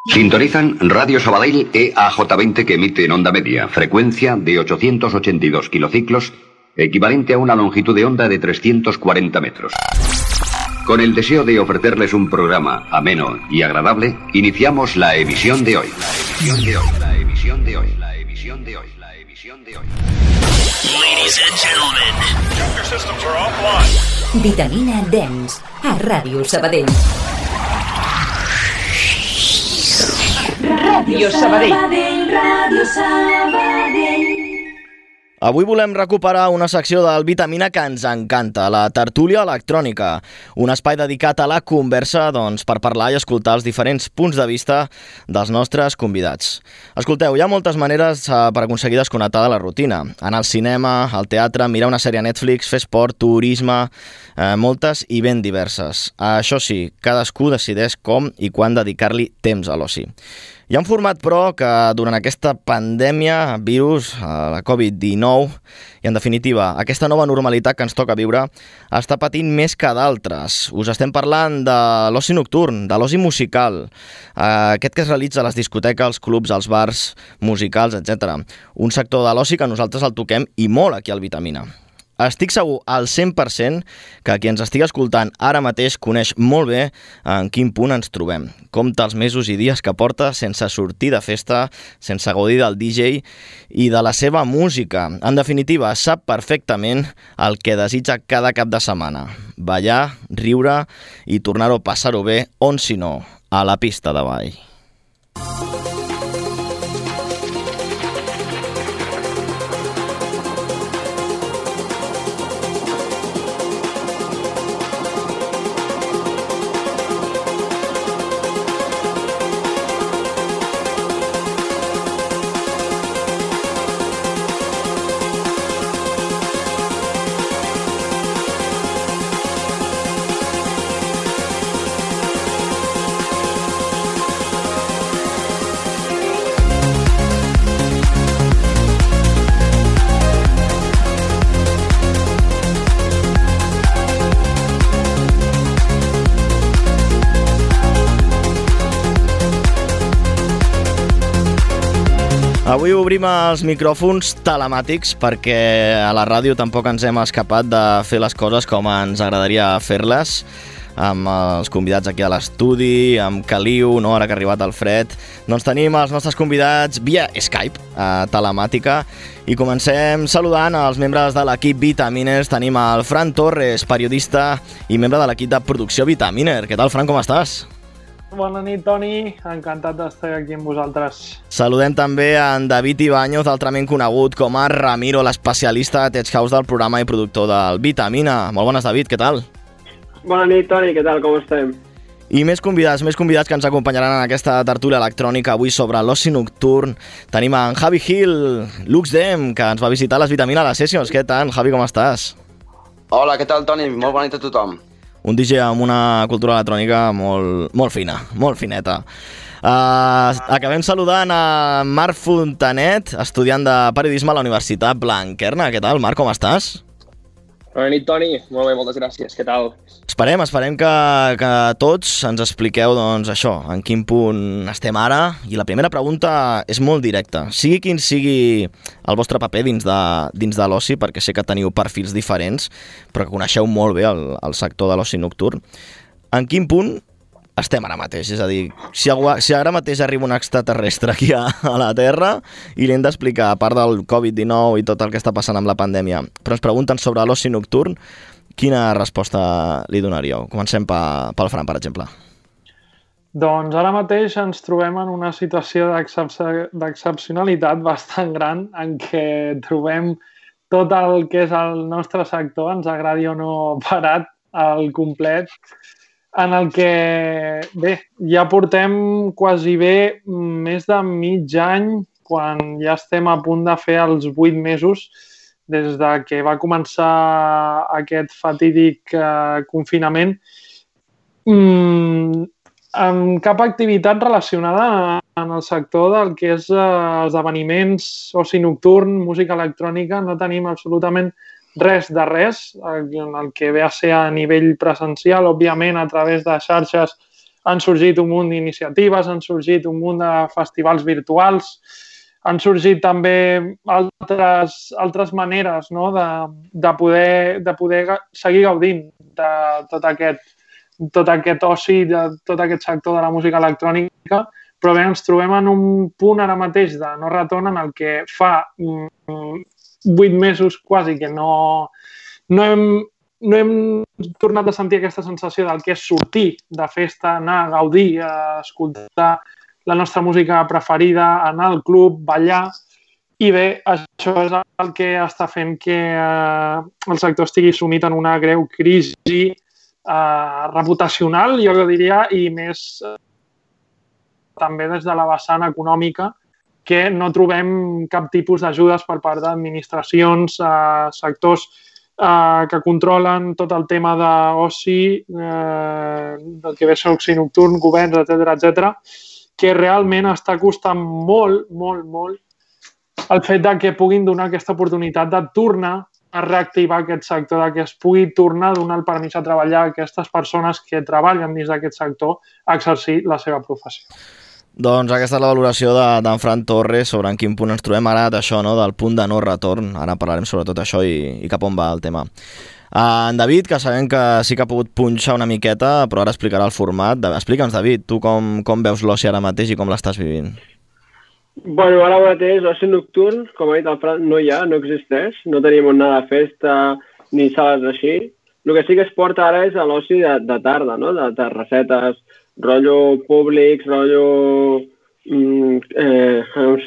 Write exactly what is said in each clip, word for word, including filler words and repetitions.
Sintonizan Radio Sabadell E A J veinte que emite en onda media, frecuencia de ochocientos ochenta y dos kilociclos, equivalente a una longitud de onda de trescientos cuarenta metros. Con el deseo de ofrecerles un programa ameno y agradable, iniciamos la emisión de hoy. La emisión de hoy, la emisión de hoy, la emisión de hoy, la emisión de hoy. Ladies and gentlemen, your systems are offline. Vitamina Dance a Ràdio Sabadell. Ràdio Sabadell. Ràdio Sabadell. Avui volem recuperar una secció del Vitamina que ens encanta, la tertúlia electrònica, un espai dedicat a la conversa, doncs, per parlar i escoltar els diferents punts de vista dels nostres convidats. Escolteu, hi ha moltes maneres eh, per aconseguir desconnectar de la rutina. Anar al cinema, al teatre, mirar una sèrie a Netflix, fer esport, turisme, eh, moltes i ben diverses. Això sí, cadascú decideix com i quan dedicar-li temps a l'oci. Hi ha un format, però, que durant aquesta pandèmia, virus, la covid dinou, i en definitiva, aquesta nova normalitat que ens toca viure, està patint més que d'altres. Us estem parlant de l'oci nocturn, de l'oci musical, aquest que es realitza a les discoteques, als clubs, als bars, musicals, etcètera. Un sector de l'oci que nosaltres el toquem i molt aquí al Vitamina. Estic segur al cent per cent que qui ens estigui escoltant ara mateix coneix molt bé en quin punt ens trobem. Compta els mesos i dies que porta sense sortir de festa, sense gaudir del D J i de la seva música. En definitiva, sap perfectament el que desitja cada cap de setmana. Ballar, riure i tornar-ho a passar-ho bé, on si no, a la pista de ball. Avui obrim els micròfons telemàtics perquè a la ràdio tampoc ens hem escapat de fer les coses com ens agradaria fer-les, amb els convidats aquí a l'estudi, amb Caliu, no? Ara que ha arribat el fred. Doncs tenim els nostres convidats via Skype, eh, telemàtica, i comencem saludant els membres de l'equip Vitaminer. Tenim el Fran Torres, periodista i membre de l'equip de producció Vitaminer. Què tal, Fran, com estàs? Bona nit, Toni. Encantat d'estar aquí amb vosaltres. Saludem també a en David Ibáñez, altrament conegut com a Ramiro, l'especialista de Tech House del programa i productor del Vitamina. Molt bones, David, què tal? Bona nit, Toni, què tal, com estem? I més convidats, més convidats que ens acompanyaran en aquesta tertúlia electrònica avui sobre l'oci nocturn. Tenim en Javi Gil, LuxDem, que ens va visitar a les Vitamina a les Sessions. Què tal, Javi, com estàs? Hola, què tal, Toni? Molt bona nit a tothom. Un D J amb una cultura electrònica molt, molt fina, molt fineta. Uh, acabem saludant a Marc Fontanet, estudiant de periodisme a la Universitat Blanquerna. Què tal, Marc, com estàs? Bona nit, Toni. Molt bé, moltes gràcies. Què tal? Esperem, esperem que, que tots ens expliqueu, doncs, això, en quin punt estem ara. I la primera pregunta és molt directa. Sigui quin sigui el vostre paper dins de, dins de l'oci, perquè sé que teniu perfils diferents, però que coneixeu molt bé el, el sector de l'oci nocturn, en quin punt estem ara mateix? És a dir, si, si ara mateix arriba un extraterrestre aquí a, a la Terra i li hem d'explicar, a part del covid dinou i tot el que està passant amb la pandèmia, però ens pregunten sobre l'oci nocturn, quina resposta li donaríeu? Comencem pel Fran, per exemple. Doncs ara mateix ens trobem en una situació d'excepcionalitat bastant gran en què trobem tot el que és el nostre sector, ens agradi o no, parat al complet, en el que, bé, ja portem quasi bé més de mig any, quan ja estem a punt de fer els vuit mesos des de que va començar aquest fatídic eh, confinament, mm, amb cap activitat relacionada en el sector del que és eh, esdeveniments, oci nocturn, música electrònica. No tenim absolutament res de res, en el que ve a ser a nivell presencial, òbviament a través de xarxes han sorgit un munt d'iniciatives, han sorgit un munt de festivals virtuals, han sorgit també altres, altres maneres, no? de, de, poder, de poder seguir gaudint de tot aquest, tot aquest oci, de tot aquest sector de la música electrònica, però bé, ens trobem en un punt ara mateix de no retorn en el que fa vuit mesos quasi que no, no, hem, no hem tornat a sentir aquesta sensació del que és sortir de festa, anar a gaudir, a escoltar la nostra música preferida, anar al club, ballar. I bé, això és el que està fent que eh, el sector estigui sumit en una greu crisi eh, reputacional, jo diria, i més eh, també des de la vessant econòmica, que no trobem cap tipus d'ajudes per part d'administracions, eh, sectors eh, que controlen tot el tema d'oci, eh, del que ve ser oci nocturn, governs, etcètera, etcètera, que realment està costant molt, molt, molt el fet de que puguin donar aquesta oportunitat de tornar a reactivar aquest sector, de que es pugui tornar a donar el permís a treballar a aquestes persones que treballen dins d'aquest sector a exercir la seva professió. Doncs aquesta és la valoració d'en de, Fran Torres sobre en quin punt ens trobem ara d'això, no? Del punt de no retorn. Ara parlarem sobre tot això i, i cap on va el tema. Uh, en David, que sabem que sí que ha pogut punxar una miqueta, però ara explicarà el format. Explica'ns, David, tu com, com veus l'oci ara mateix i com l'estàs vivint? Bueno, ara mateix l'oci nocturn, com ha dit el Fran, no hi ha, no existeix. No tenim on anar de festa ni sales així. El que sí que es porta ara és l'oci de, de tarda, no? De terrassetes, rotllo públics, rotllo... Mm, eh,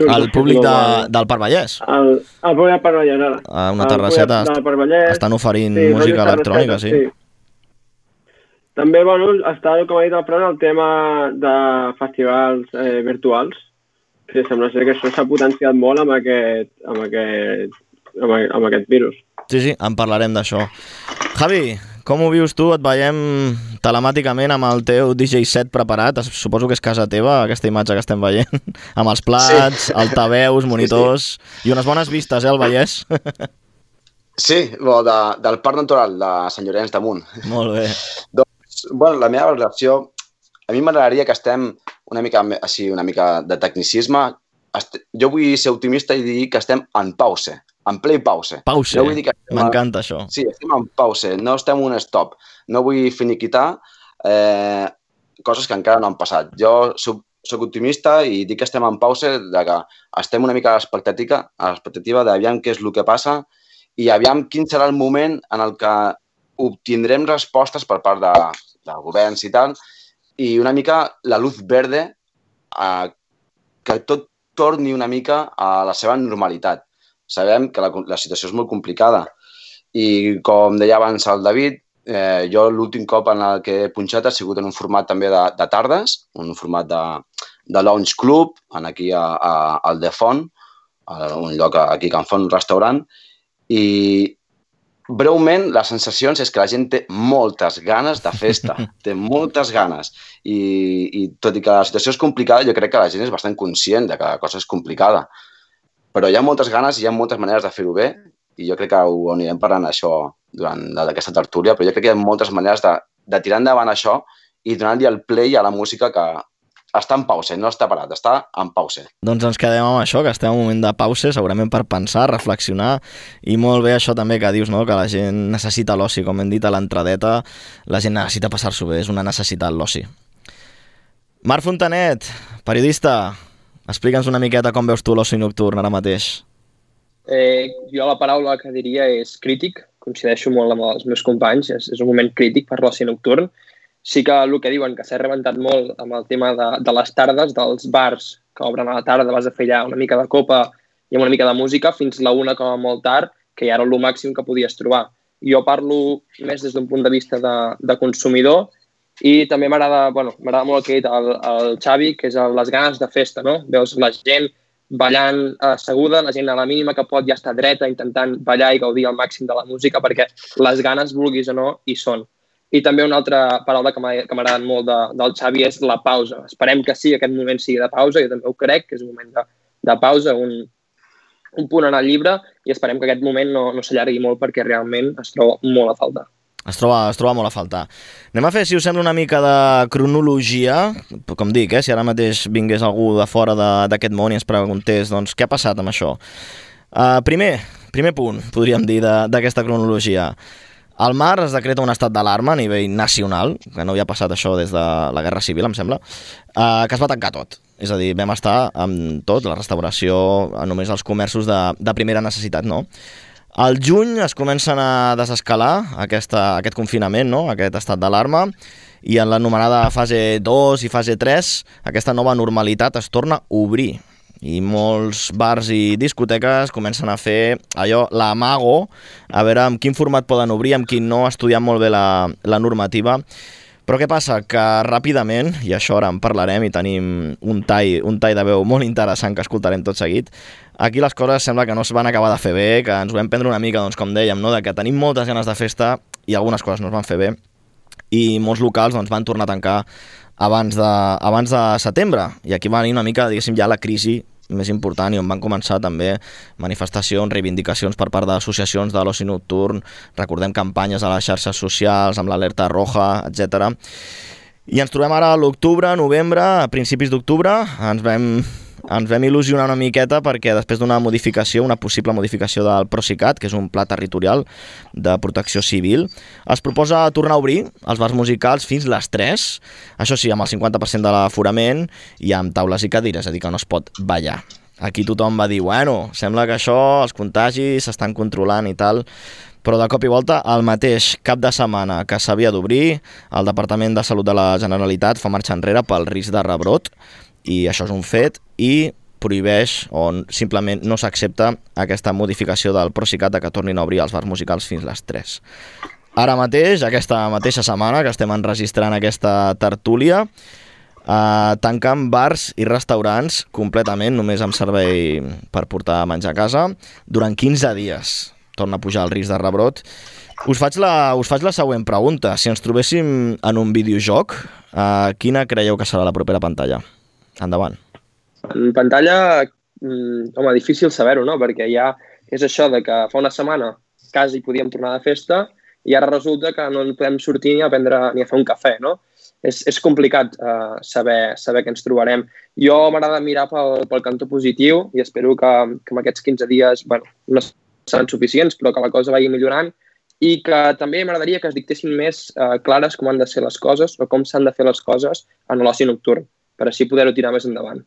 el públic de, del Parc Vallès? El, el públic del Parc Vallès, ara. A una terrasseta est... estan oferint sí, música electrònica, sí. sí. També, bueno, està, com ha dit el Fran, el tema de festivals eh, virtuals. Sí, sembla ser que això s'ha potenciat molt amb aquest, amb aquest, amb, amb aquest virus. Sí, sí, en parlarem d'això. Javi, com ho vius tu? Et veiem telemàticament amb el teu D J set preparat. Suposo que és casa teva, aquesta imatge que estem veient. Amb els plats, sí. Altaveus, monitors... Sí, sí. I unes bones vistes, eh, al Vallès? Sí, bo, de, del Parc Natural de Sant Llorenç de Munt. Molt bé. Doncs, bueno, la meva valoració... A mi m'agradaria que estem una mica, així, una mica de tecnicisme. Jo vull ser optimista i dir que estem en pause. En play pause. Pause, no m'encanta a... això. Sí, estem en pause, no estem un stop. No vull finiquitar eh, coses que encara no han passat. Jo soc, soc optimista i dic que estem en pause, de que estem una mica a l'expectativa, a l'expectativa d'aviam què és el que passa i aviam quin serà el moment en el que obtindrem respostes per part de, de governs i tal, i una mica la luz verde eh, que tot torni una mica a la seva normalitat. Sabem que la, la situació és molt complicada i, com deia abans el David, eh, jo l'últim cop en el que he punxat ha sigut en un format també de, de tardes, un format de, de lounge club, en aquí a, a, al The Font, a un lloc aquí a Can Font, un restaurant, i breument les sensacions és que la gent té moltes ganes de festa, té moltes ganes, i, i tot i que la situació és complicada, jo crec que la gent és bastant conscient de que la cosa és complicada. Però hi ha moltes ganes i hi ha moltes maneres de fer-ho bé i jo crec que ho anirem parlant això durant aquesta tertúlia, però jo crec que hi ha moltes maneres de, de tirar endavant això i donar-li el play a la música que està en pause, no està parat, està en pause. Doncs ens quedem amb això, que estem en un moment de pause, segurament per pensar, reflexionar, i molt bé això també que dius, no? Que la gent necessita l'oci, com hem dit a l'entradeta, la gent necessita passar-s'ho bé, és una necessitat l'oci. Marc Fontanet, periodista, explica'ns una miqueta com veus tu l'oci nocturn ara mateix. Eh, jo la paraula que diria és crític, coincideixo molt amb els meus companys, és, és un moment crític per l'oci nocturn. Sí que el que diuen que s'ha rebentat molt amb el tema de, de les tardes, dels bars que obren a la tarda, vas a fer allà una mica de copa i amb una mica de música, fins la una com a molt tard, que ja era el màxim que podies trobar. Jo parlo més des d'un punt de vista de, de consumidor i també m'agrada, bueno, m'agrada molt el que ha dit el, el Xavi, que és les ganes de festa, no? Veus la gent ballant asseguda, la gent a la mínima que pot ja està dreta intentant ballar i gaudir al màxim de la música perquè les ganes, vulguis o no, hi són. I també una altra paraula que m'ha agradat molt de, del Xavi és la pausa. Esperem que sí, aquest moment sigui de pausa, jo també ho crec, que és un moment de, de pausa, un, un punt en el llibre, i esperem que aquest moment no, no s'allargui molt perquè realment es troba molt a faltar. Es troba, es troba molt a faltar. Anem a fer, si us sembla, una mica de cronologia. Com dic, eh, si ara mateix vingués algú de fora d'aquest món i ens preguntés doncs, què ha passat amb això. Uh, primer, primer punt, podríem dir, d'aquesta cronologia. Al mar es decreta un estat d'alarma a nivell nacional, que no havia passat això des de la Guerra Civil, em sembla, uh, que es va tancar tot. És a dir, vam estar amb tot, la restauració, només els comerços de, de primera necessitat, no? Al juny es comencen a desescalar aquesta, aquest confinament, no? Aquest estat d'alarma, i en l'anomenada fase dos i fase tres aquesta nova normalitat es torna a obrir. I molts bars i discoteques comencen a fer allò, l'amago, a veure amb quin format poden obrir, amb quin no, estudiant molt bé la, la normativa. Però què passa? Que ràpidament, i això ara en parlarem i tenim un tall, un tall de veu molt interessant que escoltarem tot seguit, aquí les coses sembla que no es van acabar de fer bé, que ens ho vam prendre una mica, doncs, com dèiem, no? De que tenim moltes ganes de festa i algunes coses no es van fer bé, i molts locals doncs, van tornar a tancar abans de, abans de setembre, i aquí va venir una mica, diguéssim, ja la crisi més important, i on van començar també manifestacions, reivindicacions per part d'associacions de l'oci nocturn, recordem campanyes a les xarxes socials amb l'alerta roja, etcètera. I ens trobem ara a l'octubre, novembre, a principis d'octubre, ens vam, ens vam il·lusionar una miqueta perquè després d'una modificació, una possible modificació del Procicat, que és un pla territorial de protecció civil, es proposa tornar a obrir els bars musicals fins les tres, això sí, amb el cinquanta per cent de l'aforament i amb taules i cadires, és a dir, que no es pot ballar. Aquí tothom va dir, bueno, sembla que això, els contagis s'estan controlant i tal, però de cop i volta, el mateix cap de setmana que s'havia d'obrir, el Departament de Salut de la Generalitat fa marxa enrere pel risc de rebrot, i això és un fet, i prohibeix o simplement no s'accepta aquesta modificació del Procicat de que tornin a obrir els bars musicals fins les tres. Ara mateix, aquesta mateixa setmana que estem enregistrant aquesta tertúlia, eh, tanquen bars i restaurants completament, només amb servei per portar a menjar a casa, durant quinze dies. Torna a pujar el risc de rebrot. Us faig la, us faig la següent pregunta. Si ens trobéssim en un videojoc, eh, quina creieu que serà la propera pantalla? Endavant. En pantalla, mm, home, difícil saber-ho, no? Perquè ja és això de que fa una setmana quasi podíem tornar de festa i ara resulta que no podem sortir ni a prendre ni a fer un cafè, no? És, és complicat uh, saber, saber què ens trobarem. Jo m'agrada mirar pel, pel cantó positiu i espero que, que en aquests quinze dies, bueno, no seran suficients, però que la cosa vagi millorant i que també m'agradaria que es dictessin més uh, clares com han de ser les coses o com s'han de fer les coses en l'oci nocturn, per així poder-ho tirar més endavant.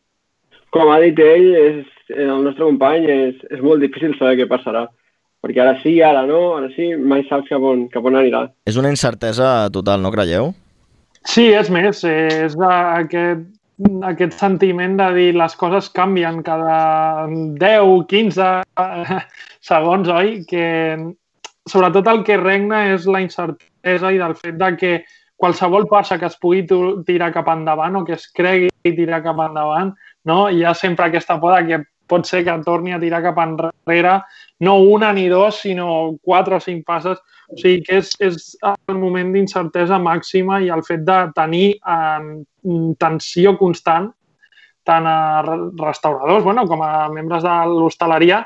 Com ha dit ell, és, el nostre company, és, és molt difícil saber què passarà. Perquè ara sí, ara no, ara sí, mai saps cap on, cap on anirà. És una incertesa total, no creieu? Sí, és més, és aquest, aquest sentiment de dir les coses canvien cada deu, quinze segons, oi? Que sobretot el que regna és la incertesa i del fet de que qualsevol passa que es pugui tirar cap endavant o que es cregui tirar cap endavant, no? Hi ha sempre aquesta por que pot ser que torni a tirar cap enrere, no una ni dos, sinó quatre o cinc passes. O sigui que és, és el moment d'incertesa màxima i el fet de tenir eh, tensió constant tant a restauradors bueno, com a membres de l'hostaleria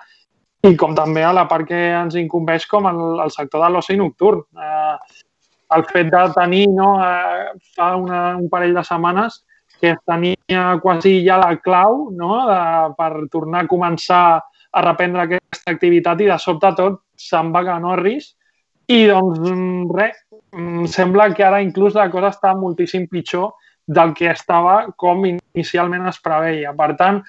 i com també a la part que ens incumbeix com el, el sector de l'oci nocturn. Eh, el fet de tenir no, eh, fa una, un parell de setmanes que tenia quasi ja la clau no, de, per tornar a començar a reprendre aquesta activitat i de sobte tot se'n va a Norris i doncs res, sembla que ara inclús la cosa està moltíssim pitjor del que estava com inicialment es preveia. Per tant,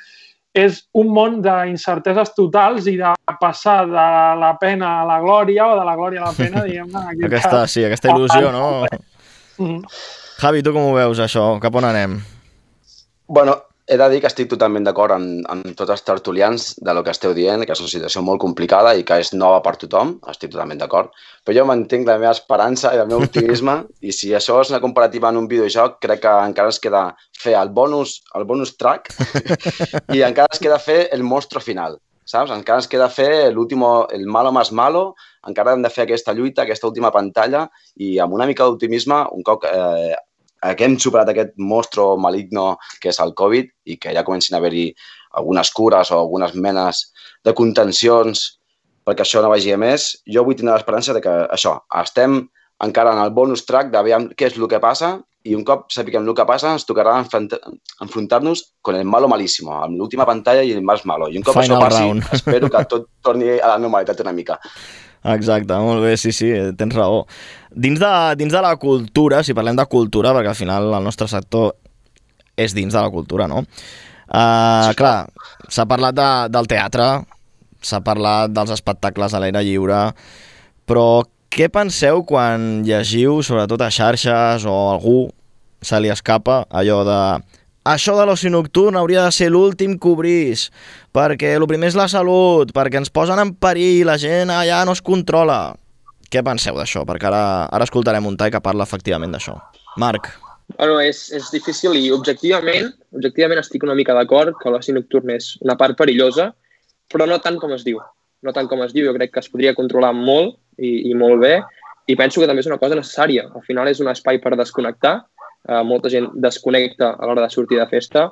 és un món d'incerteses totals i de passar de la pena a la glòria o de la glòria a la pena, diguem-ne. Aquesta, sí, aquesta il·lusió, no? Mm. Javi, tu com ho veus, això? Cap on anem? Bueno, he de dir que estic totalment d'acord amb, amb tots els tertulians de lo que esteu dient, que és una situació molt complicada i que és nova per tothom, estic totalment d'acord, però jo mantinc la meva esperança i el meu optimisme i si això és una comparativa en un videojoc, crec que encara ens queda fer el bonus, el bonus track i encara ens queda fer el monstro final, saps? Encara ens queda fer l'último, el malo más malo, encara hem de fer aquesta lluita, aquesta última pantalla i amb una mica d'optimisme, un cop eh, que hem superat aquest monstro maligno que és el Covid i que ja comencin a haver-hi algunes cures o algunes menes de contencions perquè això no vagi a més, jo vull tenir l'esperança de que això, estem encara en el bonus track de veure què és el que passa i un cop sapiguem el que passa ens tocarà enfrontar-nos con el malo malísimo, amb l'última pantalla i el más malo. I un cop Final això passi, round. espero que tot torni a la normalitat una mica. Exacte, molt bé, sí, sí, tens raó. Dins de, dins de la cultura, si parlem de cultura, perquè al final el nostre sector és dins de la cultura, no? Uh, clar, s'ha parlat de, del teatre, s'ha parlat dels espectacles a l'aire lliure, però què penseu quan llegiu, sobretot a xarxes o a algú se li escapa allò de això de l'oci nocturn hauria de ser l'últim que obrís, perquè el primer és la salut, perquè ens posen en perill, la gent allà no es controla. Què penseu d'això? Perquè ara, ara escoltarem un tall que parla efectivament d'això. Marc. Bueno, és, és difícil i objectivament, objectivament estic una mica d'acord que l'oci nocturn és una part perillosa, però no tant com es diu. No tant com es diu, jo crec que es podria controlar molt i, i molt bé, i penso que també és una cosa necessària. Al final és un espai per desconnectar, eh, molta gent desconnecta a l'hora de sortir de festa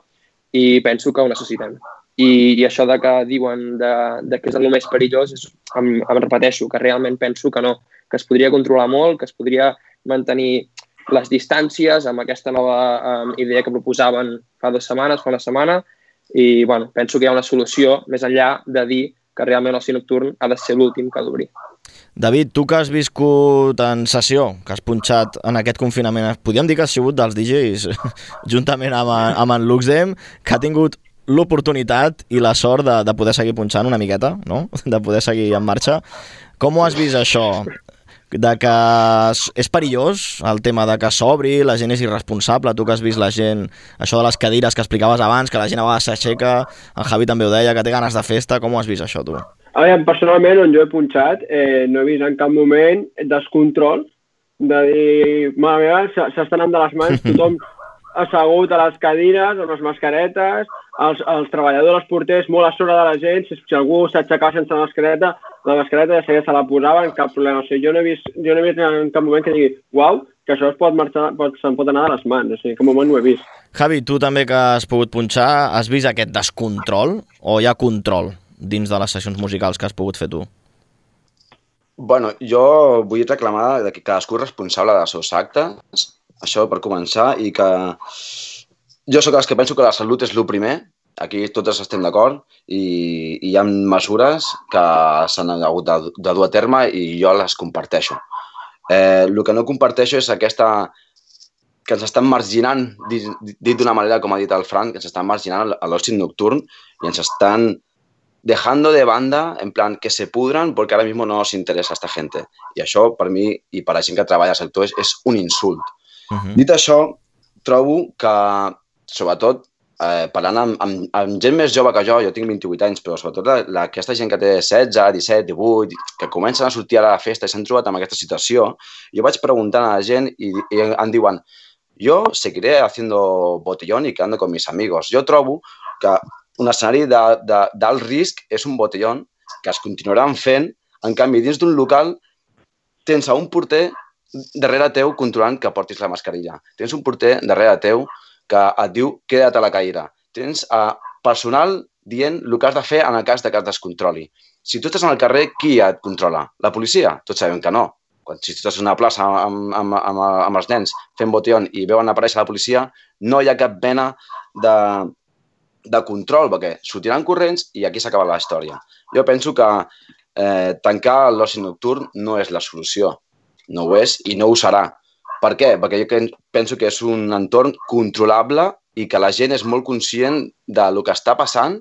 i penso que ho necessitem. I, i això de que diuen de, de que és el més perillós, és, em, em repeteixo, que realment penso que no, que es podria controlar molt, que es podria mantenir les distàncies amb aquesta nova um, idea que proposaven fa dues setmanes, fa una setmana, i bueno, penso que hi ha una solució més enllà de dir que realment l'oci nocturn ha de ser l'últim que ha d'obrir. David, tu que has viscut en sessió, que has punxat en aquest confinament, podríem dir que has sigut dels D Js, juntament amb, amb en Luxem, que ha tingut l'oportunitat i la sort de, de poder seguir punxant una miqueta, no? De poder seguir en marxa. Com ho has vist això? De que és perillós el tema de que s'obri, la gent és irresponsable, tu que has vist la gent, això de les cadires que explicaves abans, que la gent a vegades s'aixeca, en Javi també ho deia, que té ganes de festa, com ho has vist això tu? A veure, personalment, on jo he punxat, eh, no he vist en cap moment descontrol de dir, mare meva, s'estan anant de les mans, tothom assegut a les cadires, amb les mascaretes, els, els treballadors, els porters, molt a sobre de la gent, si, si algú s'aixecava sense mascareta, la mascareta ja seguia se la posaven, cap problema. O sigui, jo no he vist, jo no he vist en cap moment que digui, uau, que això es pot marxar, pot, se'n pot anar de les mans. O sigui, en cap moment no ho he vist. Javi, tu també que has pogut punxar, has vist aquest descontrol o hi ha control dins de les sessions musicals que has pogut fer tu? Bueno, jo vull reclamar que cadascú és responsable dels seus actes, això per començar, i que jo sóc dels que penso que la salut és el primer, aquí totes estem d'acord, i, i hi ha mesures que s'han hagut de, de dur a terme i jo les comparteixo. Eh, el que no comparteixo és aquesta que ens estan marginant, dit, dit d'una manera, com ha dit el Fran, que ens estan marginant a l'oci nocturn i ens estan dejando de banda, en plan, que se pudran porque ahora mismo no nos interesa esta gente. I això, per mi, i per la gent que treballa al sector, és, és un insult. Uh-huh. Dit això, trobo que, sobretot, eh, parlant amb, amb, amb gent més jove que jo, jo tinc vint-i-vuit anys, però sobretot la, la, aquesta gent que té setze, disset, divuit, que comencen a sortir a la festa i s'han trobat amb aquesta situació, jo vaig preguntant a la gent i, i em diuen yo seguiré haciendo botellón y quedando con mis amigos. Jo trobo que un escenari d'alt risc és un botellón que es continuaran fent, en canvi, dins d'un local tens un porter darrere teu controlant que portis la mascarilla. Tens un porter darrere teu que et diu queda't a la cadira. Tens uh, personal dient el que has de fer en el cas de que es descontroli. Si tu estàs en el carrer, qui et controla? La policia? Tots sabem que no. Quan, si tu estàs en una plaça amb, amb, amb, amb els nens fent botellón i veuen aparèixer la policia, no hi ha cap mena de, de control, perquè sortiran corrents i aquí s'acaba la història. Jo penso que eh, tancar l'oci nocturn no és la solució. No ho és i no ho serà. Per què? Perquè jo penso que és un entorn controlable i que la gent és molt conscient del que està passant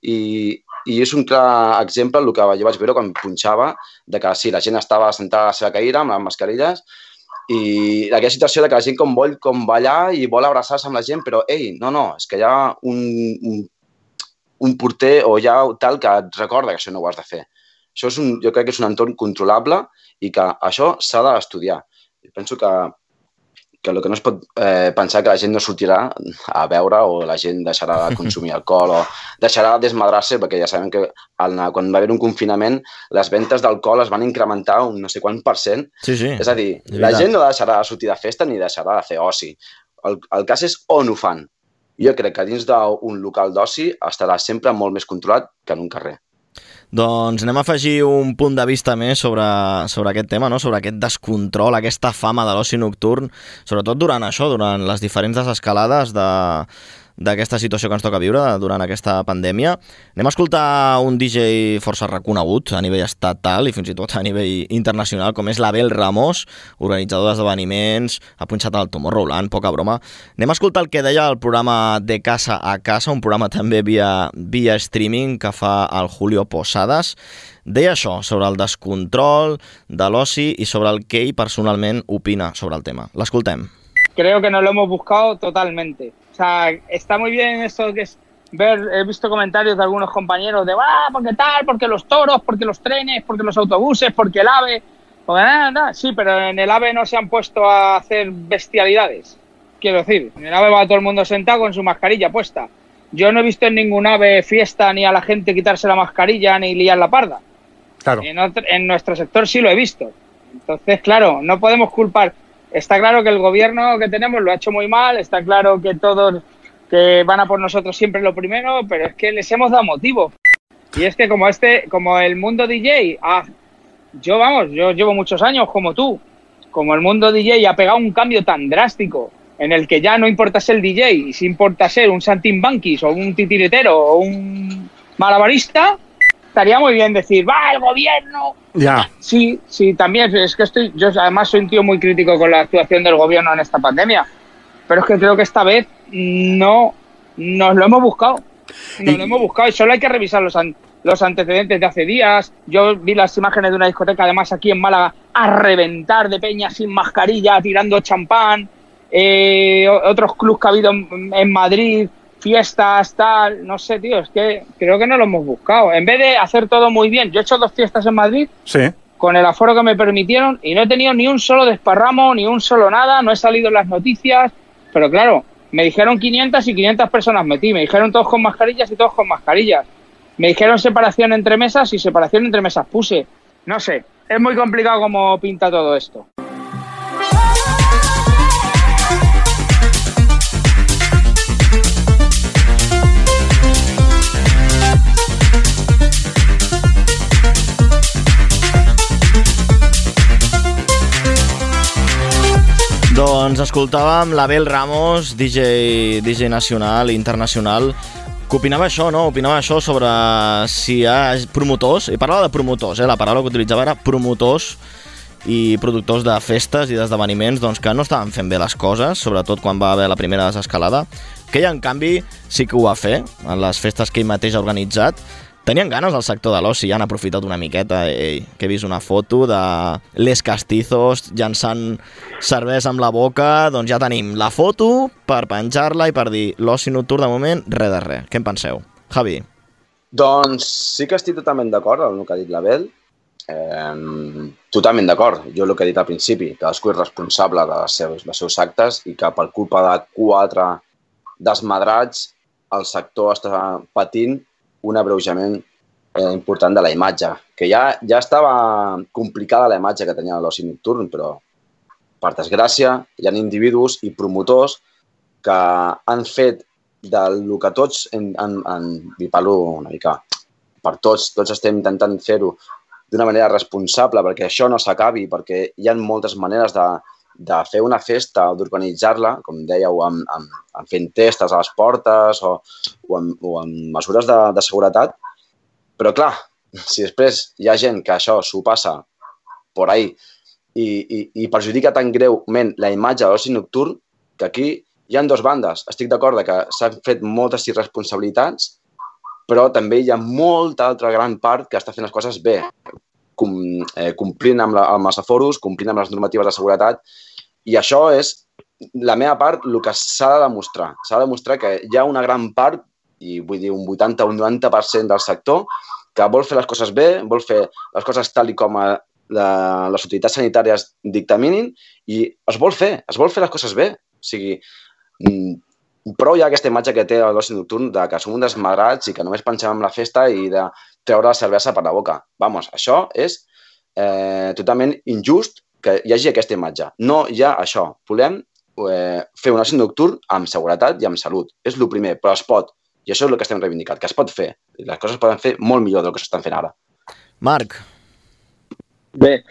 i, i és un clar exemple el que jo vaig veure quan punxava, de que sí, la gent estava sentada a la seva cadira amb les mascarilles i aquella situació de que la gent com vol com ballar i vol abraçar-se amb la gent, però ei, no, no, és que hi ha un, un, un porter o hi ha tal que et recorda que això no ho has de fer. Això és un, jo crec que és un entorn controlable i que això s'ha d'estudiar. Penso que, que el que no es pot eh, pensar que la gent no sortirà a beure o la gent deixarà de consumir alcohol o deixarà de desmadrar-se, perquè ja sabem que el, quan va haver un confinament les ventes d'alcohol es van incrementar un no sé quant per cent. Sí, sí. És a dir, la gent no deixarà de sortir de festa ni deixarà de fer oci. El, el cas és on ho fan. Jo crec que dins d'un local d'oci estarà sempre molt més controlat que en un carrer. Doncs anem a afegir un punt de vista més sobre, sobre aquest tema, no? Sobre aquest descontrol, aquesta fama de l'oci nocturn, sobretot durant això, durant les diferents desescalades de... d'aquesta situació que ens toca viure durant aquesta pandèmia. Anem a escoltar un D J força reconegut a nivell estatal i fins i tot a nivell internacional, com és l'Abel Ramos, organitzador d'esdeveniments, ha punxat al Tomorrowland, poca broma. Anem a escoltar el que deia el programa De Casa a Casa, un programa també via, via streaming que fa el Julio Posadas. Deia això, sobre el descontrol de l'oci i sobre el que ell personalment opina sobre el tema. L'escoltem. Creo que nos lo hemos buscado totalmente. O sea, está muy bien esto que es ver, he visto comentarios de algunos compañeros de, ah, porque tal, porque los toros, porque los trenes, porque los autobuses, porque el AVE, porque nada, nada. Sí, pero en el AVE no se han puesto a hacer bestialidades. Quiero decir, en el AVE va todo el mundo sentado con su mascarilla puesta. Yo no he visto en ningún AVE fiesta ni a la gente quitarse la mascarilla ni liar la parda. Claro. En, otro, en nuestro sector sí lo he visto. Entonces, claro, no podemos culpar. Está claro que el gobierno que tenemos lo ha hecho muy mal, está claro que todos que van a por nosotros siempre lo primero, pero es que les hemos dado motivo. Y es que como este, como el mundo D J, ah, yo vamos, yo llevo muchos años como tú, como el mundo D J ha pegado un cambio tan drástico en el que ya no importa ser D J, si importa ser un saltimbanquis o un titiritero o un malabarista, estaría muy bien decir, va, el gobierno... Ya. Sí, sí, también, es que estoy, yo además soy un tío muy crítico con la actuación del gobierno en esta pandemia, pero es que creo que esta vez no nos lo hemos buscado, nos y... lo hemos buscado y solo hay que revisar los, an los antecedentes de hace días. Yo vi las imágenes de una discoteca, además aquí en Málaga, a reventar de peña sin mascarilla, tirando champán, eh, otros clubs que ha habido en, en Madrid, fiestas, tal, no sé, tío, es que creo que no lo hemos buscado. En vez de hacer todo muy bien, yo he hecho dos fiestas en Madrid, sí, con el aforo que me permitieron y no he tenido ni un solo desparramo, ni un solo nada, no he salido en las noticias, pero claro, me dijeron quinientas y quinientas personas metí, me dijeron todos con mascarillas y todos con mascarillas, me dijeron separación entre mesas y separación entre mesas puse, no sé, es muy complicado cómo pinta todo esto. Doncs escoltàvem l'Abel Ramos, D J, D J nacional i internacional, que opinava això, no? Opinava això sobre si hi ha promotors, i parlava de promotors, eh? La paraula que utilitzava era promotors i productors de festes i d'esdeveniments doncs, que no estaven fent bé les coses, sobretot quan va haver la primera desescalada, que ella, en canvi, sí que ho va fer en les festes que ell mateix ha organitzat. Tenien ganes al sector de l'oci, ja han aprofitat una miqueta, ei, que he vist una foto de Les Castizos llançant cervesa amb la boca, doncs ja tenim la foto per penjar-la i per dir l'oci nocturn de moment, res de res. Què en penseu? Javi? Doncs sí que estic totalment d'acord amb el que ha dit l'Abel, eh, totalment d'acord. Jo el que he dit al principi, cadascú és responsable dels seus, dels seus actes i que per culpa de quatre desmadrats el sector està patint un abreujament eh, important de la imatge, que ja, ja estava complicada la imatge que tenia l'oci nocturn, però per desgràcia hi ha individus i promotors que han fet del que tots, en, en, en, i parlo una mica per tots, tots estem intentant fer-ho d'una manera responsable perquè això no s'acabi, perquè hi ha moltes maneres de, de fer una festa o d'organitzar-la, com dèieu, amb, amb, amb fent testes a les portes o, o, amb, o amb mesures de, de seguretat. Però clar, si després hi ha gent que això s'ho passa por ahí i, i, i perjudica tan greument la imatge de l'oci nocturn, que aquí hi ha dues bandes. Estic d'acord que s'han fet moltes irresponsabilitats, però també hi ha molta altra gran part que està fent les coses bé, com, eh, complint amb, la, amb els aforos, complint amb les normatives de seguretat, i això és la meva part, el que s'ha de demostrar. S'ha de demostrar que hi ha una gran part, i vull dir un vuitanta o un noranta per cent del sector, que vol fer les coses bé, vol fer les coses tal i com a la, les autoritats sanitàries dictaminin, i es vol fer, es vol fer les coses bé. O sigui, prou hi ha aquesta imatge que té l'oci nocturn de que som un desmadrats i que només pensem en la festa i de treure la cervesa per la boca. Vamos, això és eh, totalment injust que hi hagi aquesta imatge. No hi ha això. Volem eh, fer un oci nocturn amb seguretat i amb salut. És el primer, però es pot. I això és el que estem reivindicant, que es pot fer. I les coses poden fer molt millor del que s'estan fent ara. Marc. Bé,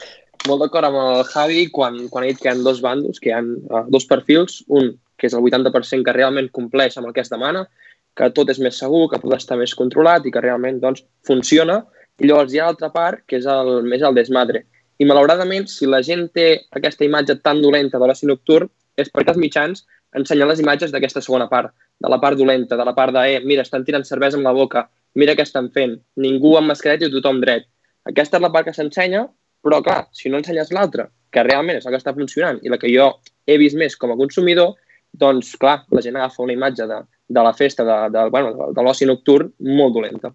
molt d'acord amb el Javi quan, quan ha dit que hi ha dos bandos, que hi ha uh, dos perfils, un que és el vuitanta per cent que realment compleix amb el que es demana, que tot és més segur, que tot està més controlat i que realment doncs, funciona, i llavors hi ha l'altra part, que és el, més el desmadre. I malauradament, si la gent té aquesta imatge tan dolenta de l'oci nocturn, és perquè els mitjans ensenyen les imatges d'aquesta segona part, de la part dolenta, de la part de, eh, mira, estan tirant cervesa amb la boca, mira què estan fent, ningú amb mascareta i tothom dret. Aquesta és la part que s'ensenya, però clar, si no ensenyes l'altra, que realment és la que està funcionant i la que jo he vist més com a consumidor, doncs clar, la gent agafa una imatge de, de la festa, de, de, bueno, de, de l'oci nocturn molt dolenta.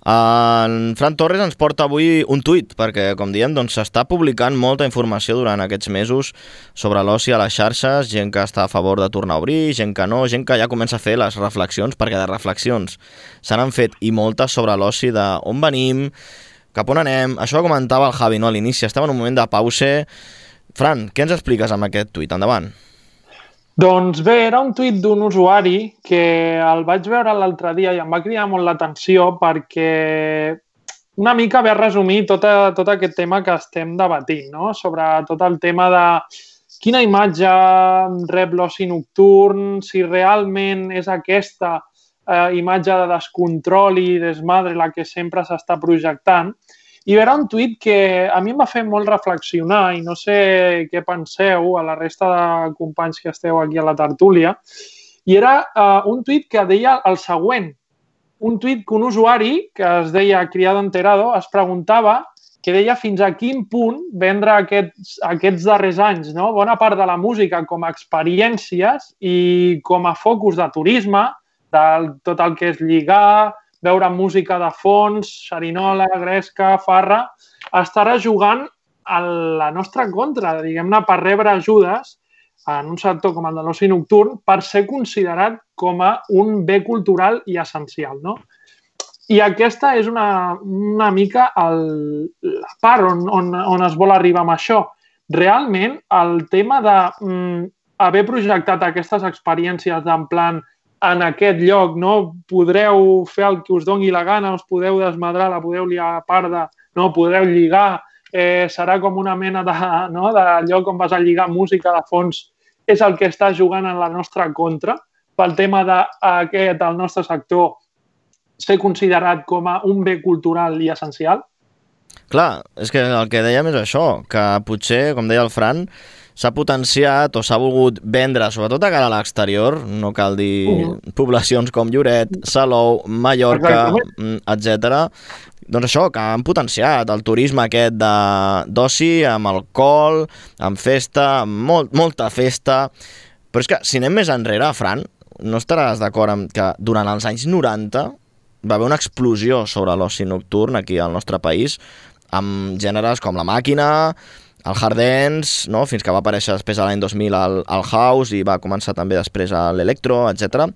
En Fran Torres ens porta avui un tuit, perquè, com diem, doncs, s'està publicant molta informació durant aquests mesos sobre l'oci a les xarxes, gent que està a favor de tornar a obrir, gent que no, gent que ja comença a fer les reflexions, perquè de reflexions se n'han fet i moltes sobre l'oci d'on venim, cap on anem. Això ho comentava el Javi, no? A l'inici estem en un moment de pause. Fran, què ens expliques amb aquest tuit? Endavant. Doncs bé, era un tuit d'un usuari que el vaig veure l'altre dia i em va cridar molt l'atenció perquè una mica ve a resumir tot, a, tot aquest tema que estem debatint, no? Sobre tot el tema de quina imatge rep l'oci nocturn, si realment és aquesta eh, imatge de descontrol i desmadre la que sempre s'està projectant. I era un tuit que a mi em va fer molt reflexionar i no sé què penseu a la resta de companys que esteu aquí a la tertúlia. I era uh, un tuit que deia el següent. Un tuit que un usuari, que es deia Criado Enterado, es preguntava, que deia fins a quin punt vendre aquests, aquests darrers anys, no? Bona part de la música com a experiències i com a focus de turisme, de tot el que és lligar, veure música de fons, xerinola, gresca, farra, estarà jugant a la nostra contra, diguem-ne, per rebre ajudes en un sector com el de l'oci nocturn per ser considerat com a un bé cultural i essencial, no? I aquesta és una, una mica el, la part on, on, on es vol arribar amb això. Realment, el tema d'haver mm, projectat aquestes experiències d'en plan en aquest lloc, no? Podreu fer el que us doni la gana, us podeu desmadrar, la podeu liar a parda, no? Podreu lligar, eh, serà com una mena de, no? de lloc on vas a lligar música de fons, és el que està jugant en la nostra contra, pel tema d'aquest, el nostre sector, ser considerat com a un bé cultural i essencial? Clar, és que el que dèiem és això, que potser, com deia el Fran, s'ha potenciat o s'ha volgut vendre, sobretot a cara a l'exterior, no cal dir uh-huh. poblacions com Lloret, Salou, Mallorca, etcètera. Doncs això, que han potenciat el turisme aquest d'oci, amb alcohol, amb festa, amb molt, molta festa. Però és que, si anem més enrere, Fran, no estaràs d'acord amb que durant els anys noranta va haver una explosió sobre l'oci nocturn aquí al nostre país, amb gèneres com la màquina, el hard dance, no? Fins que va aparèixer després a l'any dos mil al, al house i va començar també després a l'electro, etcètera.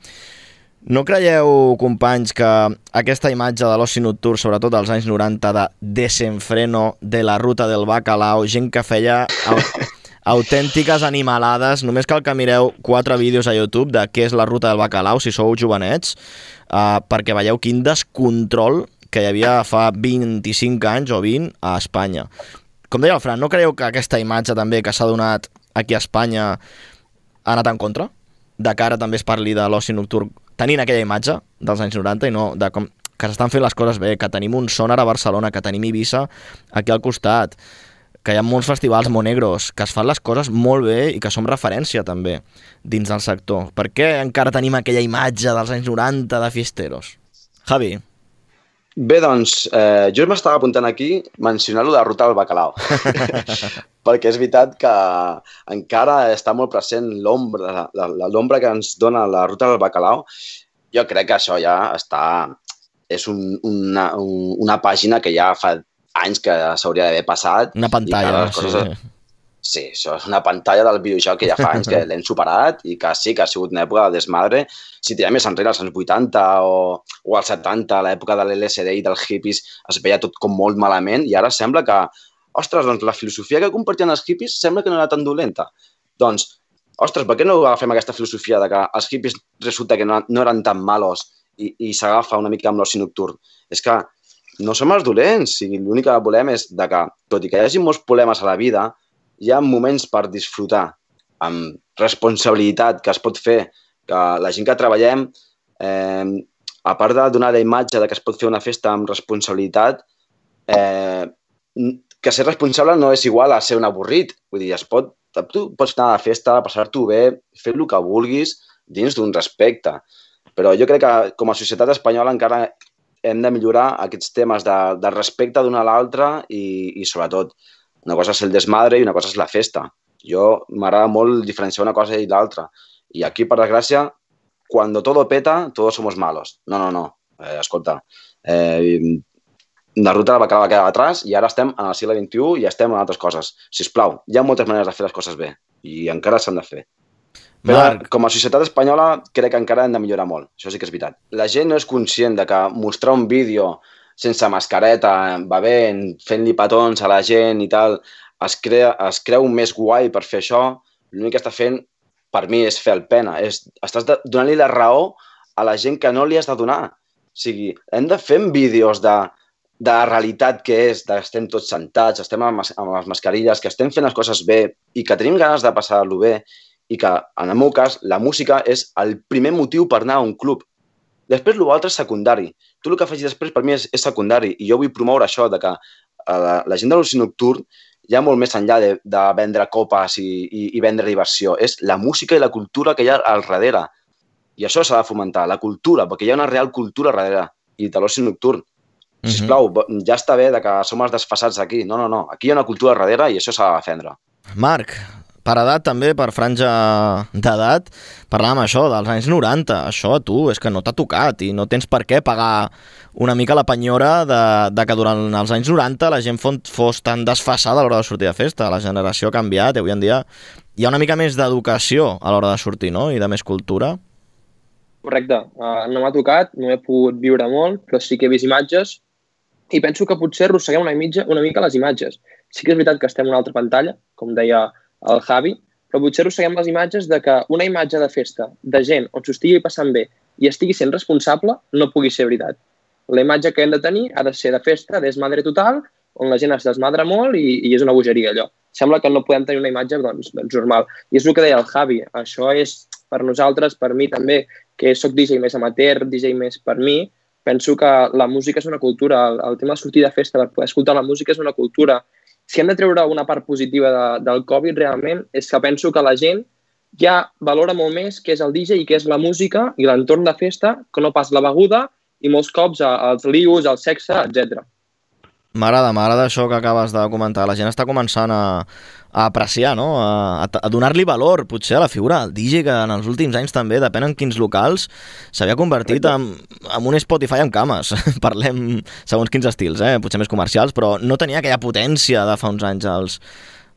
No creieu, companys, que aquesta imatge de l'oci nocturn, sobretot als anys noranta, de desenfreno, de la ruta del bacalao, gent que feia au autèntiques animalades, només cal que mireu quatre vídeos a YouTube de què és la ruta del bacalao, si sou jovenets, eh, perquè veieu quin descontrol que hi havia fa vint-i-cinc anys o vint a Espanya. Com deia el Fran, no creieu que aquesta imatge també que s'ha donat aquí a Espanya ha anat en contra? De cara també es parli de l'oci nocturn, tenint aquella imatge dels anys noranta i no de com que s'estan fent les coses bé, que tenim un Sonar a Barcelona, que tenim Ibiza aquí al costat, que hi ha molts festivals monegros, que es fan les coses molt bé i que som referència també dins del sector. Per què encara tenim aquella imatge dels anys noranta de fiesteros? Javi. Bé, doncs, eh, jo m'estava apuntant aquí mencionar-lo de la ruta del bacalao. Perquè és veritat que encara està molt present l'ombra, l'ombra que ens dona la ruta del bacalao. Jo crec que això ja està... És un, una, un, una pàgina que ja fa anys que s'hauria d'haver passat. Una pantalla, coses... sí. Sí, això és una pantalla del videojoc que ja fa anys que l'hem superat i que sí que ha sigut una època de desmadre. Si tirem més enrere, als anys vuitanta o, o als setanta, a l'època de l'L S D i dels hippies, es veia tot com molt malament i ara sembla que, ostres, doncs la filosofia que compartien els hippies sembla que no era tan dolenta. Doncs, ostres, per què no agafem aquesta filosofia de que els hippies resulta que no, no eren tan malos i, i s'agafa una mica amb l'oci nocturn. És que no som els dolents, o sigui, l'únic que volem és de que, tot i que hi hagi molts problemes a la vida, hi ha moments per disfrutar amb responsabilitat que es pot fer, que la gent que treballem, eh, a part de donar la imatge de que es pot fer una festa amb responsabilitat, eh, que ser responsable no és igual a ser un avorrit. Vull dir, es pot, tu pots anar a la festa, passar-t'ho bé, fer el que vulguis dins d'un respecte. Però jo crec que com a societat espanyola encara hem de millorar aquests temes de, de respecte d'un a l'altre i, i sobretot una cosa és el desmadre i una cosa és la festa. Jo m'agrada molt diferenciar una cosa i l'altra. I aquí, per desgràcia, quan todo peta, todos somos malos. No, no, no. Eh, escolta, eh, la ruta va quedar atrás i ara estem en el segle vint-i-u i estem en altres coses. Sisplau, hi ha moltes maneres de fer les coses bé i encara s'han de fer. Però Marc, com a societat espanyola crec que encara hem de millorar molt. Això sí que és veritat. La gent no és conscient de que mostrar un vídeo sense mascareta, bevent, fent-li petons a la gent i tal, es, crea, es creu més guai per fer això. L'únic que està fent, per mi, és fer el pena. És, estàs donant-li la raó a la gent que no li has de donar. O sigui, hem de fer vídeos de de la realitat que és, que estem tots sentats, estem amb, amb les mascarilles, que estem fent les coses bé i que tenim ganes de passar-lo bé i que, en el meu cas, la música és el primer motiu per anar a un club. Després, l'altre és secundari. Tot el que facis després, per mi, és, és secundari i jo vull promoure això, de que la, la gent de l'oci nocturn hi ha molt més enllà de, de vendre copes i, i, i vendre diversió. És la música i la cultura que hi ha al darrere. I això s'ha de fomentar, la cultura, perquè hi ha una real cultura al darrere i de l'oci nocturn. Sisplau, ja està bé de que som els desfasats aquí. No, no, no. Aquí hi ha una cultura darrere i això s'ha de defendre. Marc, per edat també, per franja d'edat, parlàvem això dels anys noranta. Això a tu és que no t'ha tocat i no tens per què pagar una mica la penyora de, de que durant els anys noranta la gent fos tan desfasada a l'hora de sortir de festa. La generació ha canviat i avui en dia hi ha una mica més d'educació a l'hora de sortir, no? I de més cultura. Correcte. Uh, no m'ha tocat, no he pogut viure molt, però sí que he vist imatges i penso que potser arrosseguem una, mitja, una mica les imatges. Sí que és veritat que estem en una altra pantalla, com deia el Javi, però potser arrosseguem les imatges de que una imatge de festa de gent on s'ho estigui passant bé i estigui sent responsable no pugui ser veritat. La imatge que hem de tenir ha de ser de festa, desmadre total, on la gent es desmadra molt i, i és una bogeria allò. Sembla que no podem tenir una imatge doncs, doncs normal. I és el que deia el Javi, això és per nosaltres, per mi també, que soc D J més amateur, D J més per mi, penso que la música és una cultura, el, el tema de sortir de festa per poder escoltar la música és una cultura. Si hem de treure una part positiva de, del Covid realment és que penso que la gent ja valora molt més què és el D J i què és la música i l'entorn de festa que no pas la beguda i molts cops els lius, el sexe, etcètera. M'agrada, m'agrada això que acabes de comentar. La gent està començant a, a apreciar, no? a, a donar-li valor, potser, a la figura del D J, que en els últims anys també, depèn en quins locals, s'havia convertit en, en un Spotify amb cames. Parlem segons quins estils, eh? Potser més comercials, però no tenia aquella potència de fa uns anys als,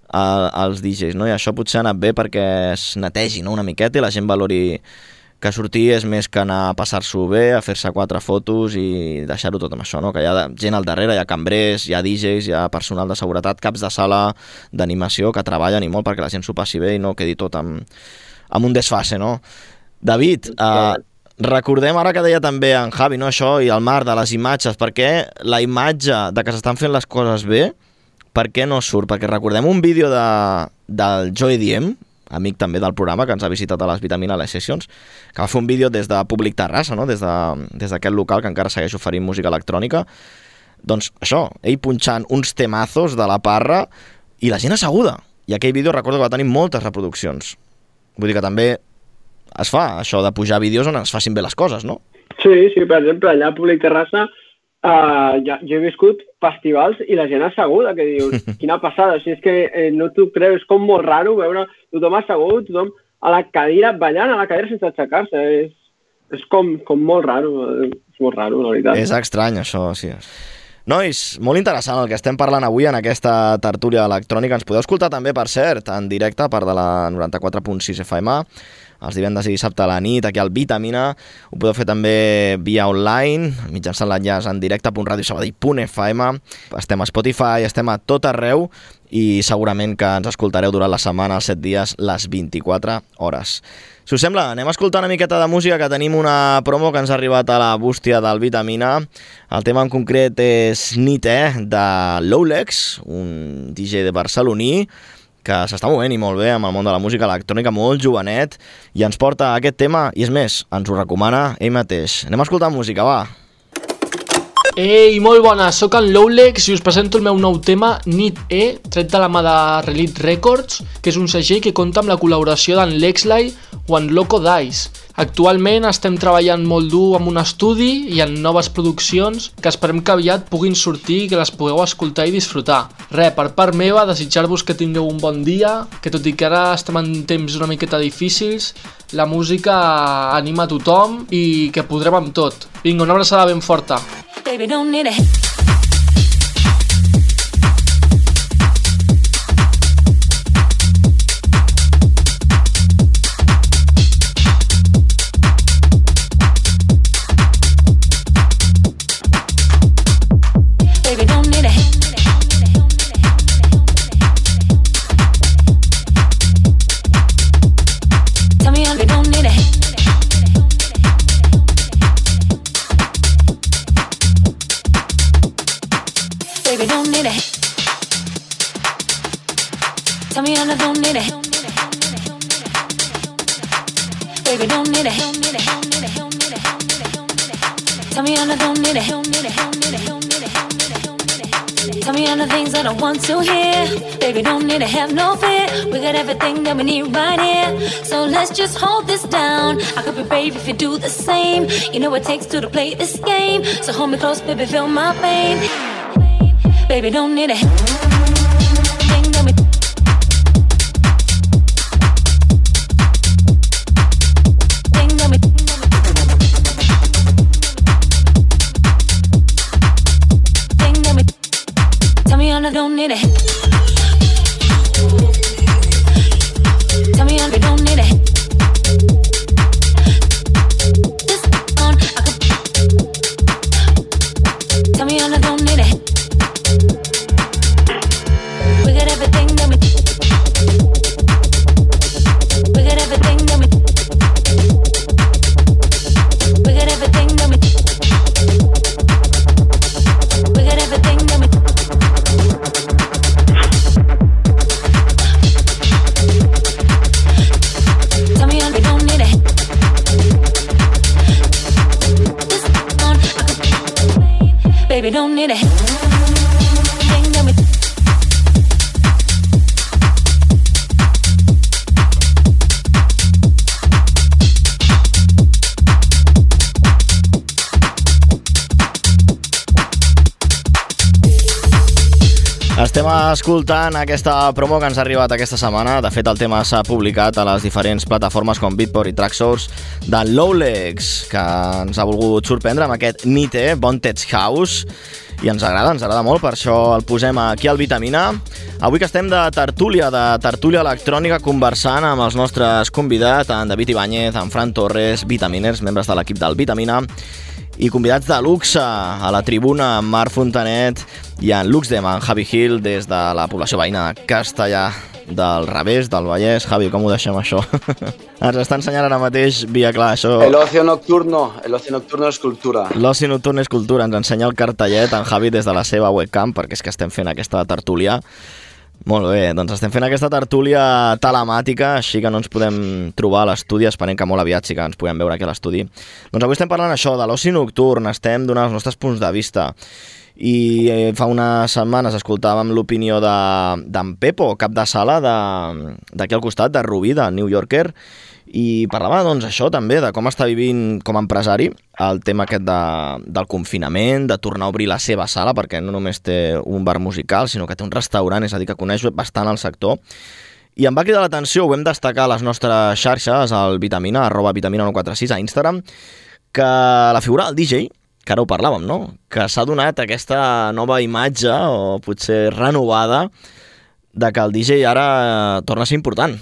a, als D Js, no? I això potser ha anat bé perquè es netegi, no? Una miqueta i la gent valori que sortir és més que anar a passar-s'ho bé, a fer-se quatre fotos i deixar-ho tot amb això, no? Que hi ha gent al darrere, hi ha cambrers, hi ha D Js, hi ha personal de seguretat, caps de sala d'animació que treballen i molt perquè la gent s'ho passi bé i no quedi tot amb, amb un desfase, no? David, eh, recordem ara que deia també en Javi, no, això, i el Marc, de les imatges, perquè la imatge de que s'estan fent les coses bé, per què no surt? Perquè recordem un vídeo de, del Joey Diem, amic també del programa, que ens ha visitat a les Vitamina Les Sessions, que va fer un vídeo des de Públic Terrassa, no? des d'aquest de, des local que encara segueix oferint música electrònica. Doncs això, ell punxant uns temazos de la parra i la gent asseguda. I aquell vídeo recordo que va tenir moltes reproduccions. Vull dir que també es fa això de pujar vídeos on es facin bé les coses, no? Sí, sí, per exemple, allà a Públic Terrassa uh, ja, jo he viscut festivals i la gent asseguda, que dius, quina passada, o sigui, és que eh, no t'ho creus, és com molt raro veure tothom assegut, tothom a la cadira, ballant a la cadira sense aixecar-se, és, és com, com molt raro, és molt raro, la veritat. És estrany, això, sí. Nois, molt interessant el que estem parlant avui en aquesta tertúlia electrònica. Ens podeu escoltar també, per cert, en directe, a part de la noranta-quatre punt sis F M, els divendres i dissabte a la nit, aquí al Vitamina. Ho podeu fer també via online, mitjançant l'enllaç en directe punt radio sabadell punt f m. Estem a Spotify, estem a tot arreu i segurament que ens escoltareu durant la setmana, els set dies, les vint-i-quatre hores. Si us sembla, anem a escoltar una miqueta de música, que tenim una promo que ens ha arribat a la bústia del Vitamina. El tema en concret és Nit, eh, de Lowlegs, un D J de barceloní, que s'està movent i molt bé amb el món de la música electrònica, molt jovenet, i ens porta aquest tema, i és més, ens ho recomana ell mateix. Anem a escoltar música, va! Ei, molt bona, sóc en Lowlegs i us presento el meu nou tema, Nit E, tret de la mà de Relit Records, que és un segell que compta amb la col·laboració d'en Lexley o en Loco Dice. Actualment estem treballant molt dur amb un estudi i en noves produccions que esperem que aviat puguin sortir i que les pugueu escoltar i disfrutar. Re, per part meva, desitjar-vos que tingueu un bon dia, que tot i que ara estem en temps una miqueta difícils, la música anima a tothom i que podrem amb tot. Vinga, una abraçada ben forta. Baby, don't need it. Tell me I don't need it. Baby, don't need it. Tell me I don't need it. Tell me all the things I don't want to hear. Baby, don't need to have no fear. We got everything that we need right here. So let's just hold this down. I could be brave if you do the same. You know what it takes to, to play this game. So hold me close, baby, feel my pain. Baby, don't need it. I don't need it. Tell me I don't need it. This on I could. Tell me I don't need it. We got everything that we. We got everything that we. We got everything that we. We got everything that we. Baby, don't need it. Estem escoltant aquesta promo que ens ha arribat aquesta setmana. De fet, el tema s'ha publicat a les diferents plataformes com Beatport i Tracksource de Lowlegs, que ens ha volgut sorprendre amb aquest Nite, Bon Tech House, i ens agrada, ens agrada molt, per això el posem aquí al Vitamina. Avui que estem de tertúlia, de tertúlia electrònica, conversant amb els nostres convidats, en David Ibáñez, en Fran Torres, vitaminers, membres de l'equip del Vitamina, i convidats de luxe a la tribuna, en Marc Fontanet i en Luxdem, en Javi Gil, des de la població veïna de Castellà del Revés, del Vallès. Javi, com ho deixem això? Ens està ensenyant ara mateix via clar, això... El ocio nocturno, el ocio nocturno és cultura. L'oci nocturno és cultura, ens ensenya el cartellet en Javi des de la seva webcam, perquè és que estem fent aquesta tertúlia. Molt bé, doncs estem fent aquesta tertúlia telemàtica, així que no ens podem trobar a l'estudi, esperem que molt aviat sí que ens podem veure aquí a l'estudi. Doncs avui estem parlant això, de l'oci nocturn, estem donant els nostres punts de vista. I fa unes setmanes escoltàvem l'opinió d'en Pepo, cap de sala d'aquí al costat, de Rubí, de New Yorker, i parlava doncs això també, de com està vivint com a empresari el tema aquest de, del confinament, de tornar a obrir la seva sala, perquè no només té un bar musical, sinó que té un restaurant, és a dir, que coneix bastant el sector. I em va cridar l'atenció, ho vam destacar a les nostres xarxes, al Vitamina, arroba vitamina nou quatre sis a Instagram, que la figura del D J, que ara ho parlàvem, no? Que s'ha donat aquesta nova imatge, o potser renovada, de que el D J ara torna a ser important.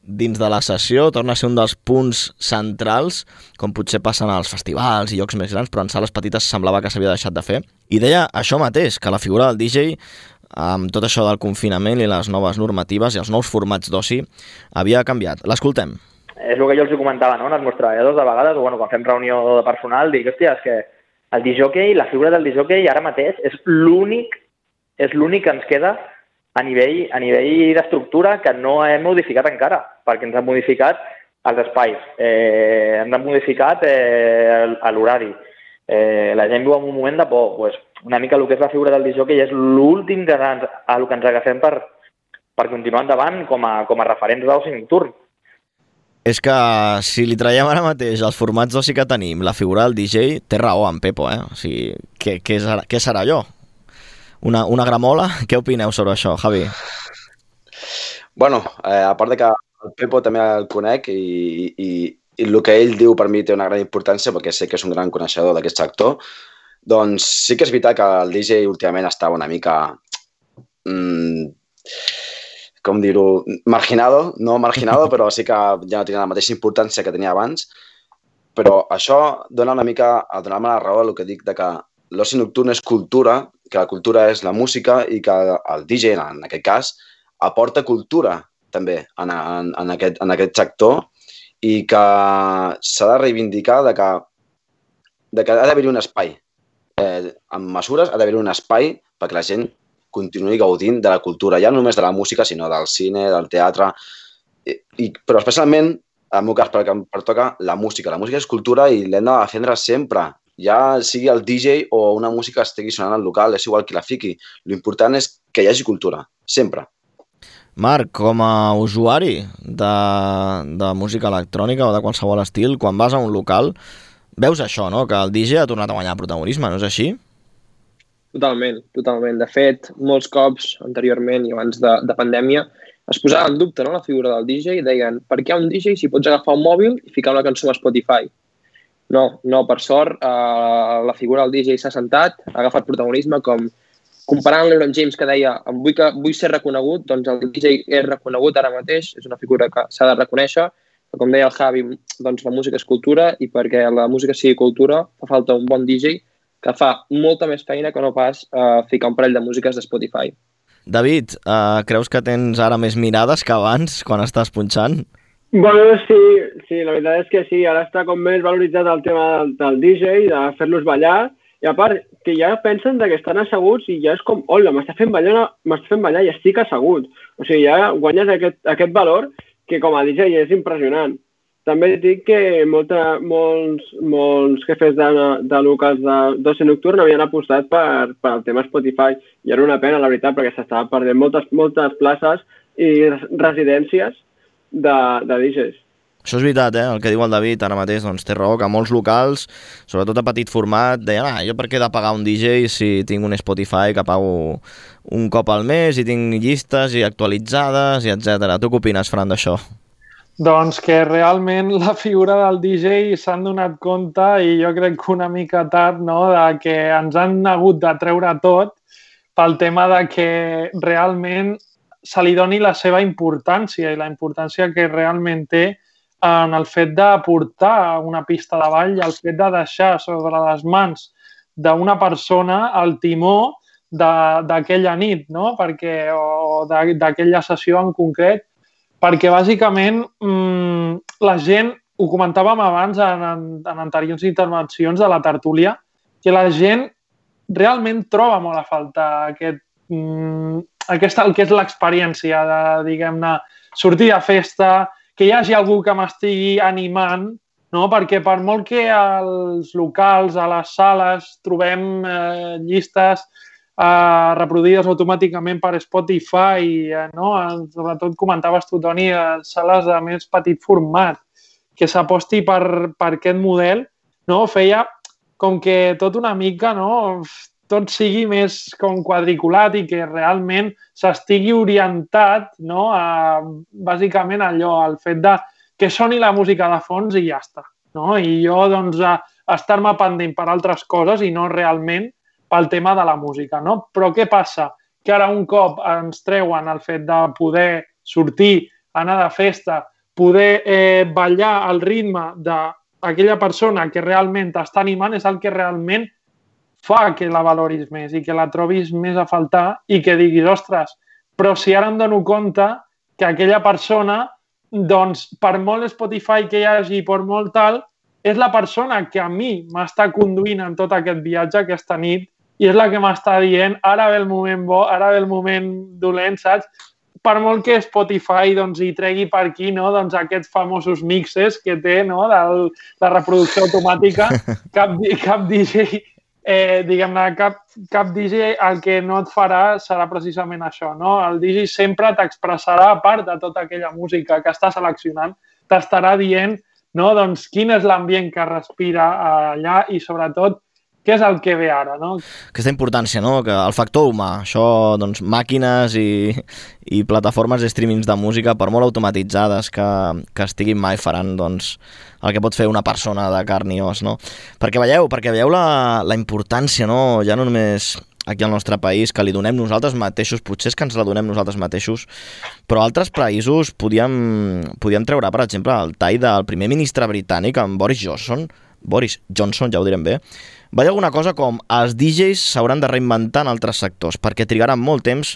dins de la sessió, torna a ser un dels punts centrals, com potser passen als festivals i llocs més grans, però en sales petites semblava que s'havia deixat de fer. I deia això mateix, que la figura del D J, amb tot això del confinament i les noves normatives i els nous formats d'oci, havia canviat. L'escoltem. És el que jo els comentava, no?, als meus treballadors de vegades, o bueno, quan fem reunió de personal, dic, hòstia, és que el disjockey, la figura del disjockey ara mateix és l'únic, és l'únic que ens queda a nivell, a nivell d'estructura que no hem modificat encara, perquè ens han modificat els espais, eh, ens han modificat eh, l'horari. Eh, la gent viu en un moment de por, pues, una mica el que és la figura del disjockey és l'últim que ens, a lo que ens agafem per, per continuar endavant com a, com a referents d'oci nocturn. És que si li traiem ara mateix els formats d'oci que tenim, la figura del D J, té raó en Pepo, eh? O sigui, què, què, serà, què serà allò? Una, una gramola? Què opineu sobre això, Javi? Bueno, eh, a part de que el Pepo també el conec i, i, i el que ell diu per mi té una gran importància perquè sé que és un gran coneixedor d'aquest sector, doncs sí que és veritat que el D J últimament estava una mica, mmm, com dir-ho, marginado, no marginado, però sí que ja no tenia la mateixa importància que tenia abans, però això dona una mica, a donar-me la raó a el que dic de que l'oci nocturn és cultura, que la cultura és la música i que el D J, en aquest cas, aporta cultura també en, en, en, aquest, en aquest sector i que s'ha de reivindicar de que, de que ha d'haver-hi un espai. Eh, amb mesures ha d'haver-hi un espai perquè la gent continuï gaudint de la cultura, ja no només de la música, sinó del cine, del teatre, i, i, però especialment, en el meu cas, perquè em pertoca la música. La música és cultura i l'hem de defendre sempre, ja sigui el D J o una música que estigui sonant al local, és igual qui la fiqui. L'important és que hi hagi cultura, sempre. Marc, com a usuari de, de música electrònica o de qualsevol estil, quan vas a un local, veus això, no?, que el D J ha tornat a guanyar protagonisme, no és així? Totalment, totalment. De fet, molts cops anteriorment i abans de, de pandèmia es posava en dubte, no?, la figura del D J i deien, per què un D J si pots agafar un mòbil i ficar una cançó a Spotify? No, no, per sort, eh, la figura del D J s'ha sentat, ha agafat protagonisme, com comparant l'Ebron James que deia vull, que, vull ser reconegut, doncs el D J és reconegut ara mateix, és una figura que s'ha de reconèixer, que com deia el Javi, doncs la música és cultura i perquè la música sigui cultura fa falta un bon D J que fa molta més feina que no pas eh, ficar un parell de músiques de Spotify. David, eh, creus que tens ara més mirades que abans quan estàs punxant? Bueno, sí, sí, la veritat és que sí, ara està com més valoritzat el tema del, del D J, de fer-los ballar, i a part, que ja pensen que estan asseguts i ja és com, hola, m'està fent ballar, m'està fent ballar i estic assegut. O sigui, ja guanyes aquest, aquest valor que com a D J és impressionant. També dic que molta, molts, molts jefes de, de locals d'oci nocturn havien apostat per, per el tema Spotify i era una pena, la veritat, perquè s'estaven perdent moltes, moltes places i residències de, de D Js. Això és veritat, eh? El que diu el David ara mateix, doncs té raó, que molts locals, sobretot a petit format, deien, ah, jo per què he de pagar un D J si tinc un Spotify que pago un cop al mes i tinc llistes i actualitzades i etcètera. Tu què opines, Fran, d'això? Doncs que realment la figura del D J s'han donat compte i jo crec que una mica tard, no?, de que ens han hagut de treure tot pel tema de que realment se li doni la seva importància i la importància que realment té en el fet de portar una pista de ball i el fet de deixar sobre les mans d'una persona el timó d'aquella nit, no?, perquè, o d'aquella sessió en concret, perquè bàsicament mmm, la gent, ho comentàvem abans en, en, en anteriors intervencions de la tertúlia, que la gent realment troba molt a faltar aquest, mmm, aquesta, el que és l'experiència de, diguem-ne, sortir de festa, que hi hagi algú que m'estigui animant, no? Perquè per molt que als locals, a les sales, trobem eh, llistes Uh, reproduïdes automàticament per Spotify, uh, no? Sobretot comentaves tu, Toni, uh, sales de més petit format, que s'aposti per, per aquest model, no? Feia com que tot una mica, no?, tot sigui més com quadriculat i que realment s'estigui orientat, no?, a bàsicament allò, al fet de que soni la música de fons i ja està, no? I jo, doncs, a estar-me pendent per altres coses i no realment pel tema de la música, no? Però què passa? Que ara un cop ens treuen el fet de poder sortir, anar de festa, poder eh, ballar al ritme d'aquella persona que realment t'està animant és el que realment fa que la valoris més i que la trobis més a faltar i que diguis, ostres, però si ara em dono compte que aquella persona, doncs, per molt Spotify que hi hagi, per molt tal, és la persona que a mi m'està conduint en tot aquest viatge aquesta nit i és la que m'està dient, ara ve el moment bo, ara ve el moment dolent, saps? Per molt que Spotify doncs, hi tregui per aquí no? doncs, aquests famosos mixes que té no? de la reproducció automàtica, cap, cap D J, eh, diguem-ne, cap, cap D J el que no et farà serà precisament això. No? El D J sempre t'expressarà, a part de tota aquella música que està seleccionant, t'estarà dient no? doncs, quin és l'ambient que respira allà i, sobretot, què és el que ve ara, no? Aquesta importància, no? Que el factor humà, això, doncs, màquines i, i plataformes de streamings de música, per molt automatitzades que, que estiguin mai, faran, doncs, el que pot fer una persona de carn i os, no? Perquè veieu, perquè veieu la, la importància, no? Ja no només aquí al nostre país, que li donem nosaltres mateixos, potser és que ens la donem nosaltres mateixos, però altres països podíem, podíem treure, per exemple, el tall del primer ministre britànic, en Boris Johnson, Boris Johnson, ja ho direm bé, va dir alguna cosa com els D Js s'hauran de reinventar en altres sectors perquè trigaran molt temps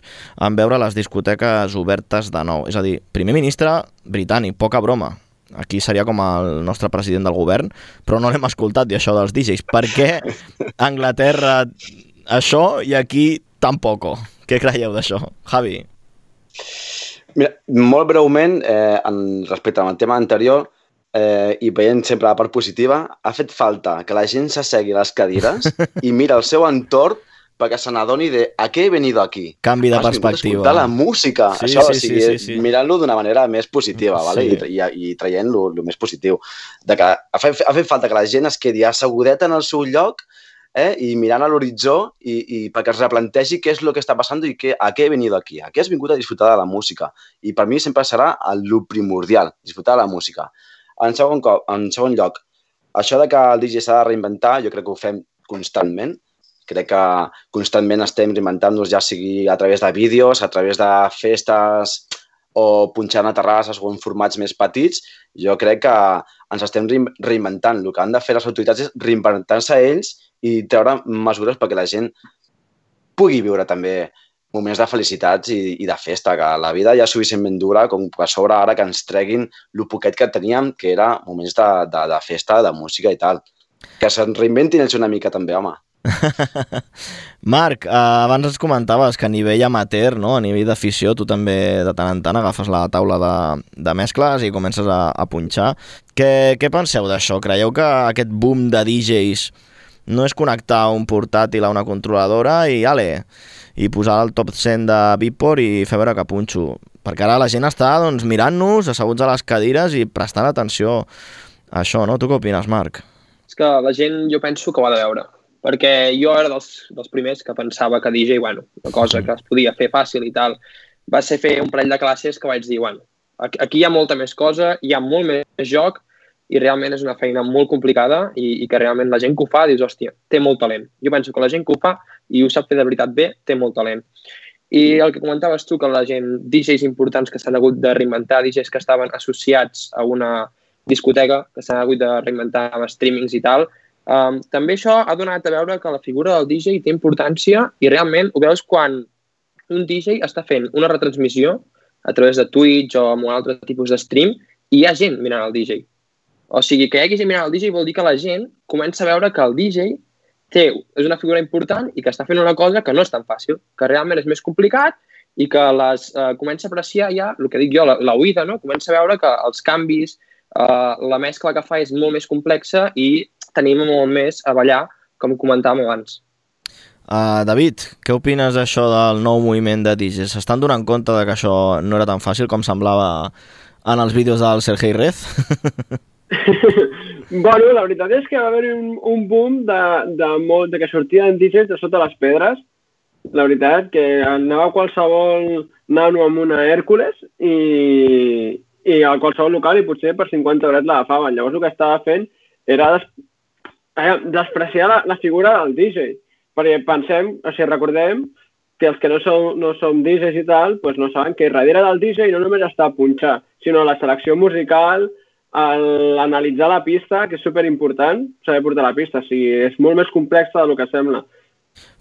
en veure les discoteques obertes de nou. És a dir, primer ministre britànic, poca broma. Aquí seria com el nostre president del govern, però no l'hem escoltat dir això dels D Js. Per què a Anglaterra això i aquí tampoc? Què creieu d'això? Javi? Mira, molt breument, eh, en, respecte al tema anterior, Eh, i veient sempre la part positiva, ha fet falta que la gent s'assegui a les cadires i mira el seu entorn perquè se n'adoni de a què he venido aquí. Canvi de Has perspectiva. Escoltar la música, sí, això, sí, o sigui, sí, sí, sí. mirant-lo d'una manera més positiva, vale? Sí. I, i, i traient-lo el més positiu. De que ha fet, ha fet falta que la gent es quedi assegudeta en el seu lloc eh, i mirant a l'horitzó i, i perquè es replantegi què és el que està passant i que, a què he venido aquí. A què has vingut a disfrutar de la música. I per mi sempre serà el primordial, disfrutar de la música. En segon, cop, en segon lloc, això de que el D J s'ha de reinventar, jo crec que ho fem constantment. Crec que constantment estem reinventant-nos, ja sigui a través de vídeos, a través de festes o punxant a terrasses o en formats més petits. Jo crec que ens estem reinventant. El que han de fer les autoritats és reinventar-se ells i treure mesures perquè la gent pugui viure també moments de felicitats i, i de festa, que la vida ja és suficientment dura com que a sobre ara que ens treguin el poquet que teníem, que era moments de, de, de festa, de música i tal. Que se'n reinventin ells una mica també, home. Marc, eh, abans ens comentaves que a nivell amateur, no? A nivell d'afició, tu també de tant en tant agafes la taula de, de mescles i comences a, a punxar. Què, què penseu d'això? Creieu que aquest boom de D Js no és connectar un portàtil a una controladora i ale, i posar el top cent de Beatport i fer veure que punxo? Perquè ara la gent està doncs, mirant-nos, asseguts a les cadires i prestant atenció a això, no? Tu què opines, Marc? És que la gent jo penso que ho ha de veure. Perquè jo era dels, dels primers que pensava que D J, bueno, una cosa que es podia fer fàcil i tal, va ser fer un parell de classes que vaig dir, bueno, aquí hi ha molta més cosa, hi ha molt més joc, i realment és una feina molt complicada i, i que realment la gent que ho fa dius, hòstia, té molt talent. Jo penso que la gent que ho fa i ho sap fer de veritat bé, té molt talent. I el que comentaves tu, que la gent, D Js importants que s'han hagut de reinventar, D Js que estaven associats a una discoteca, que s'han hagut de reinventar amb streamings i tal, um, també això ha donat a veure que la figura del D J té importància i realment ho veus quan un D J està fent una retransmissió a través de Twitch o amb un altre tipus de stream i hi ha gent mirant el D J. O sigui, que hi hagi gent mirant el D J vol dir que la gent comença a veure que el D J té, és una figura important i que està fent una cosa que no és tan fàcil, que realment és més complicat i que les eh, comença a apreciar ja, el que dic jo, la, la oïda, no? Comença a veure que els canvis, eh, la mescla que fa és molt més complexa i tenim molt més a ballar, com comentàvem abans. Uh, David, què opines d'això del nou moviment de D Js? S'estan donant compte de que això no era tan fàcil com semblava en els vídeos del Sergei Rez? Bueno, la veritat és que va haver un, un boom de, de, molt, de que sortien D Js de sota les pedres. La veritat que anava a qualsevol nano amb una Hèrcules i, i a qualsevol local i potser per cinquanta drets l'agafaven. Llavors el que estava fent era des, eh, despreciar la, la figura del D J. Perquè pensem, o sigui, recordem que els que no som, no som D Js i tal, pues no saben que darrere del D J no només està a punxar, sinó la selecció musical, l'analitzar la pista, que és superimportant, saber portar la pista. O sigui, és molt més complexa del que sembla.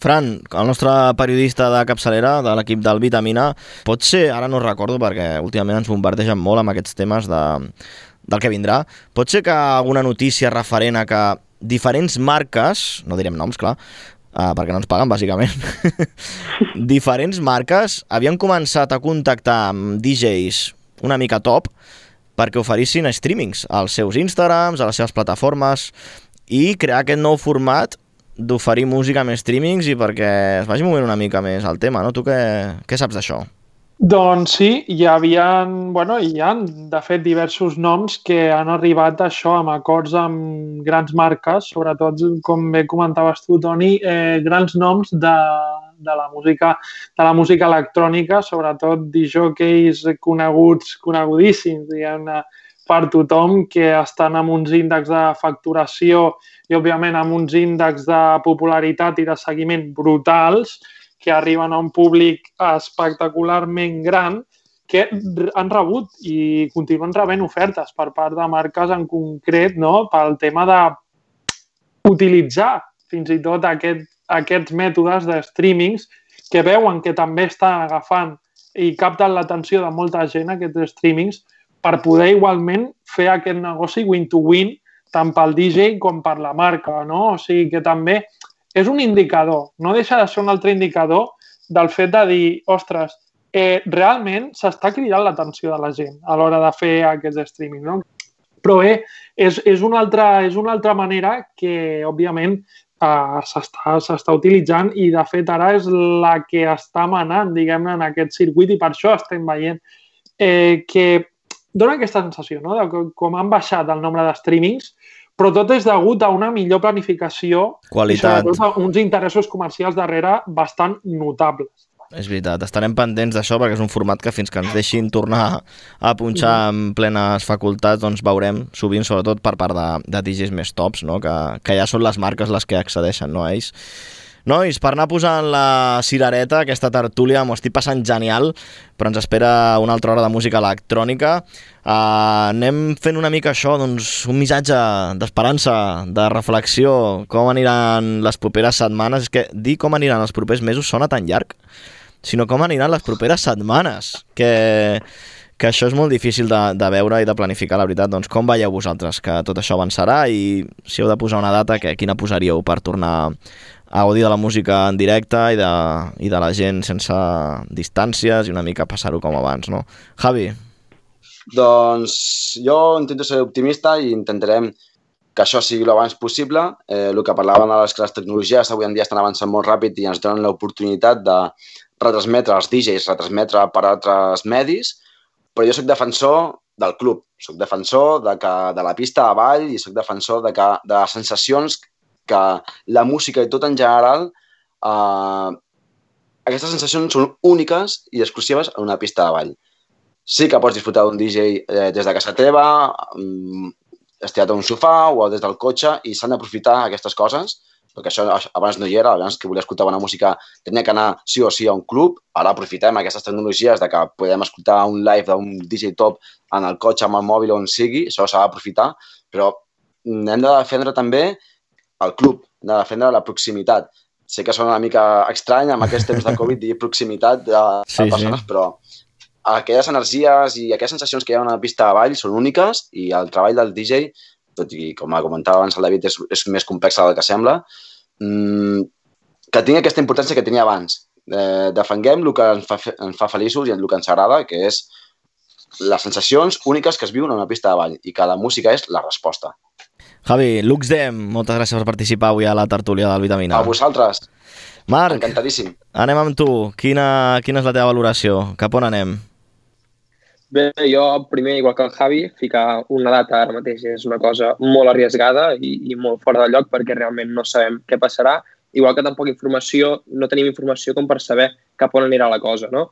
Fran, el nostre periodista de capçalera de l'equip del Vitamina, pot ser, ara no recordo perquè últimament ens bombardegen molt amb aquests temes de, del que vindrà, pot ser que alguna notícia referent a que diferents marques, no direm noms, clar, uh, perquè no ens paguen, bàsicament, diferents marques havien començat a contactar amb D Js una mica top perquè oferissin streamings als seus Instagrams, a les seves plataformes i crear aquest nou format d'oferir música amb streamings i perquè es vagi movent una mica més el tema, no? Tu què, què saps d'això? Doncs sí, hi havia, bueno, hi ha, de fet, diversos noms que han arribat a això amb acords amb grans marques, sobretot, com bé comentaves tu, Toni, eh, grans noms de, de, la música, de la música electrònica, sobretot disjòqueis coneguts, conegudíssims, diguem-ne, per tothom, que estan amb uns índexs de facturació i, òbviament, amb uns índexs de popularitat i de seguiment brutals, que arriben a un públic espectacularment gran, que han rebut i continuen rebent ofertes per part de marques en concret, no?, pel tema d'utilitzar fins i tot aquest, aquests mètodes de streamings que veuen que també estan agafant i capten l'atenció de molta gent, aquests streamings, per poder igualment fer aquest negoci win-to-win tant pel D J com per la marca, no? O sigui que també és un indicador, no deixa de ser un altre indicador del fet de dir, ostres, eh, realment s'està cridant l'atenció de la gent a l'hora de fer aquests streaming, no? Però bé, és, és, una altra, és una altra manera que, òbviament, eh, s'està, s'està utilitzant i, de fet, ara és la que està manant, diguem-ne, en aquest circuit i per això estem veient eh, que dona aquesta sensació, no?, de com han baixat el nombre de streamings, però tot és degut a una millor planificació qualitat. I sobretot a uns interessos comercials darrere bastant notables. És veritat, estarem pendents d'això perquè és un format que fins que ens deixin tornar a punxar amb plenes facultats doncs veurem sovint, sobretot per part de, de D Js més tops, no?, que, que ja són les marques les que accedeixen, no, a ells. Nois, per anar posant la cirereta, aquesta tertúlia, m'ho estic passant genial, però ens espera una altra hora de música electrònica. Uh, anem fent una mica això, doncs, un missatge d'esperança, de reflexió, com aniran les properes setmanes. És que dir com aniran els propers mesos sona tan llarg, sinó com aniran les properes setmanes, que, que això és molt difícil de, de veure i de planificar, la veritat. Doncs com veieu vosaltres que tot això avançarà i si heu de posar una data, que, quina posaríeu per tornar a gaudir de la música en directe i de, i de la gent sense distàncies i una mica passar-ho com abans, no? Javi? Doncs jo intento ser optimista i intentarem que això sigui l'abans possible. Eh, el que parlaven és que les tecnologies avui en dia estan avançant molt ràpid i ens donen l'oportunitat de retransmetre els D Js, retransmetre per altres medis, però jo soc defensor del club, soc defensor de, que, de la pista a ball i soc defensor de, que, de les sensacions que la música i tot en general, eh, aquestes sensacions són úniques i exclusives en una pista de ball. Sí que pots disfrutar d'un D J eh, des de casa teva, um, estirat a un sofà o des del cotxe i s'han d'aprofitar aquestes coses, perquè això abans no hi era, abans que volia escoltar bona música tenia que anar sí o sí a un club, ara aprofitem aquestes tecnologies de que podem escoltar un live d'un D J top en el cotxe, amb el mòbil, on sigui, això s'ha d'aprofitar, però hem de defendre també el club, de defendre la proximitat. Sé que sona una mica estrany amb aquests temps de Covid dir proximitat de, de sí, persones, sí. Però aquelles energies i aquelles sensacions que hi ha en una pista de ball són úniques i el treball del D J, tot i com comentava abans el David, és, és més complex del que sembla, mmm, que tingui aquesta importància que tenia abans. Eh, defenguem el que ens fa, ens fa feliços i el que ens agrada, que és les sensacions úniques que es viuen en una pista de ball i que la música és la resposta. Javi, Luxdem, moltes gràcies per participar avui a la tertúlia del Vitamina. A vosaltres. Marc, encantadíssim. Anem amb tu. Quina, quina és la teva valoració? Cap on anem? Bé, jo primer, igual que el Javi, ficar una data ara mateix és una cosa molt arriesgada i, i molt fora de lloc perquè realment no sabem què passarà. Igual que tampoc informació, no tenim informació com per saber cap on anirà la cosa, no?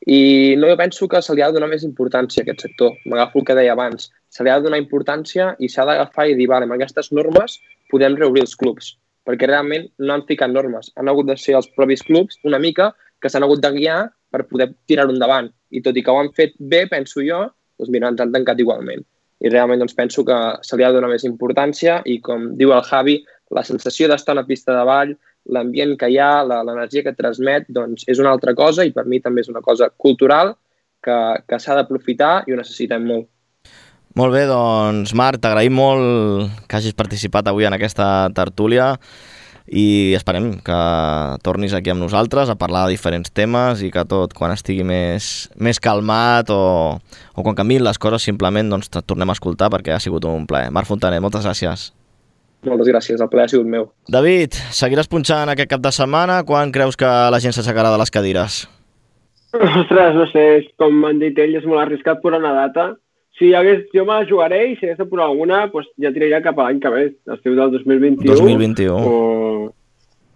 I no, jo penso que se li ha de donar més importància a aquest sector. M'agafo el que deia abans. Se li ha de donar importància i s'ha d'agafar i dir, vale, amb aquestes normes podem reobrir els clubs. Perquè realment no han ficat normes. Han hagut de ser els propis clubs una mica que s'han hagut de guiar per poder tirar-ho endavant. I tot i que ho han fet bé, penso jo, doncs mira, ens han tancat igualment. I realment doncs, penso que se li ha de donar més importància i, com diu el Javi, la sensació d'estar a una pista de ball, l'ambient que hi ha, l'energia que transmet, doncs és una altra cosa i per mi també és una cosa cultural que, que s'ha d'aprofitar i ho necessitem molt. Molt bé, doncs Marc, t'agraïm molt que hagis participat avui en aquesta tertúlia i esperem que tornis aquí amb nosaltres a parlar de diferents temes i que tot, quan estigui més, més calmat o, o quan canviïn les coses, simplement doncs, et tornem a escoltar perquè ha sigut un plaer. Marc Fontanet, moltes gràcies. Moltes gràcies, el plaer ha sigut meu. David, seguiràs punxant aquest cap de setmana? Quan creus que la gent s'aixecarà de les cadires? Ostres, no sé, com han dit ells, és molt arriscat posar una data. Si hagués, jo me la jugaré i si hagués de posar alguna, doncs ja tiraria cap a l'any que ve, l'estiu del dos mil vint-i-u. dos mil vint-i-u. O...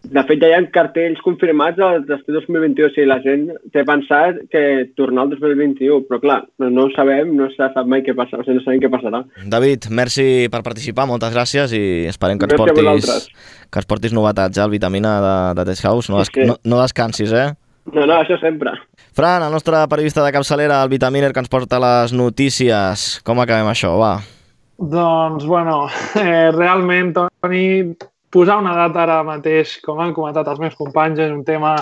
De fet, ja hi ha cartells confirmats de l'estiu dos mil vint-i-u. O sigui, la gent té pensat que tornar al dos mil vint-i-u, però clar, no, no ho sabem, no se sap mai què passarà, o sigui, no sabem què passarà. David, merci per participar, moltes gràcies i esperem que ens portis, que ens portis novetats, eh, el Vitamina de, de Test House. No, des, sí, sí. no, no descansis, eh? No, no, això sempre. Fran, el nostre periodista de capçalera, el Vitaminer, que ens porta les notícies. Com acabem això, va? Doncs, bueno, eh, realment, Toni, posar una data ara mateix, com han comentat els meus companys, és un tema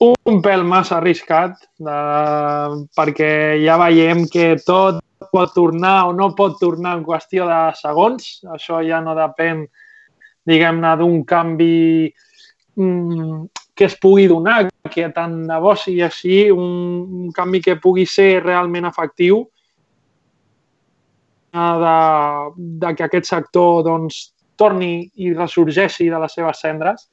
un pèl massa arriscat, de, perquè ja veiem que tot pot tornar o no pot tornar en qüestió de segons. Això ja no depèn, diguem-ne, d'un canvi mm, que es pugui donar, que tant de bo sigui així, un, un canvi que pugui ser realment efectiu, de, de que aquest sector doncs, torni i ressorgeixi de les seves cendres.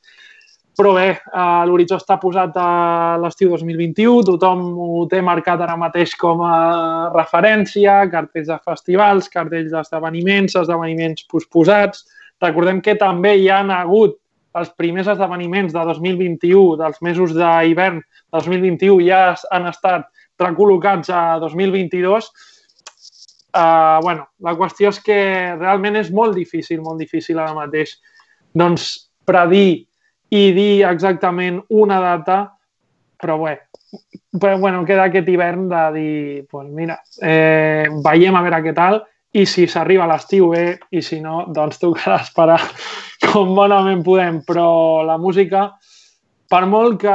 Però bé, eh, l'horitzó està posat a l'estiu dos mil vint-i-u, tothom ho té marcat ara mateix com a referència, cartells de festivals, cartells d'esdeveniments, esdeveniments posposats. Recordem que també hi ha hagut els primers esdeveniments de dos mil vint-i-u, dels mesos d'hivern de dos mil vint-i-u, ja han estat recol·locats a dos mil vint-i-dos. Uh, bueno, la qüestió és que realment és molt difícil, molt difícil ara mateix, doncs, predir i dir exactament una data, però bé, però, bueno, queda aquest hivern de dir, pues mira, eh, veiem a veure què tal, i si s'arriba a l'estiu bé, i si no, doncs tocarà esperar com bonament podem. Però la música, per molt que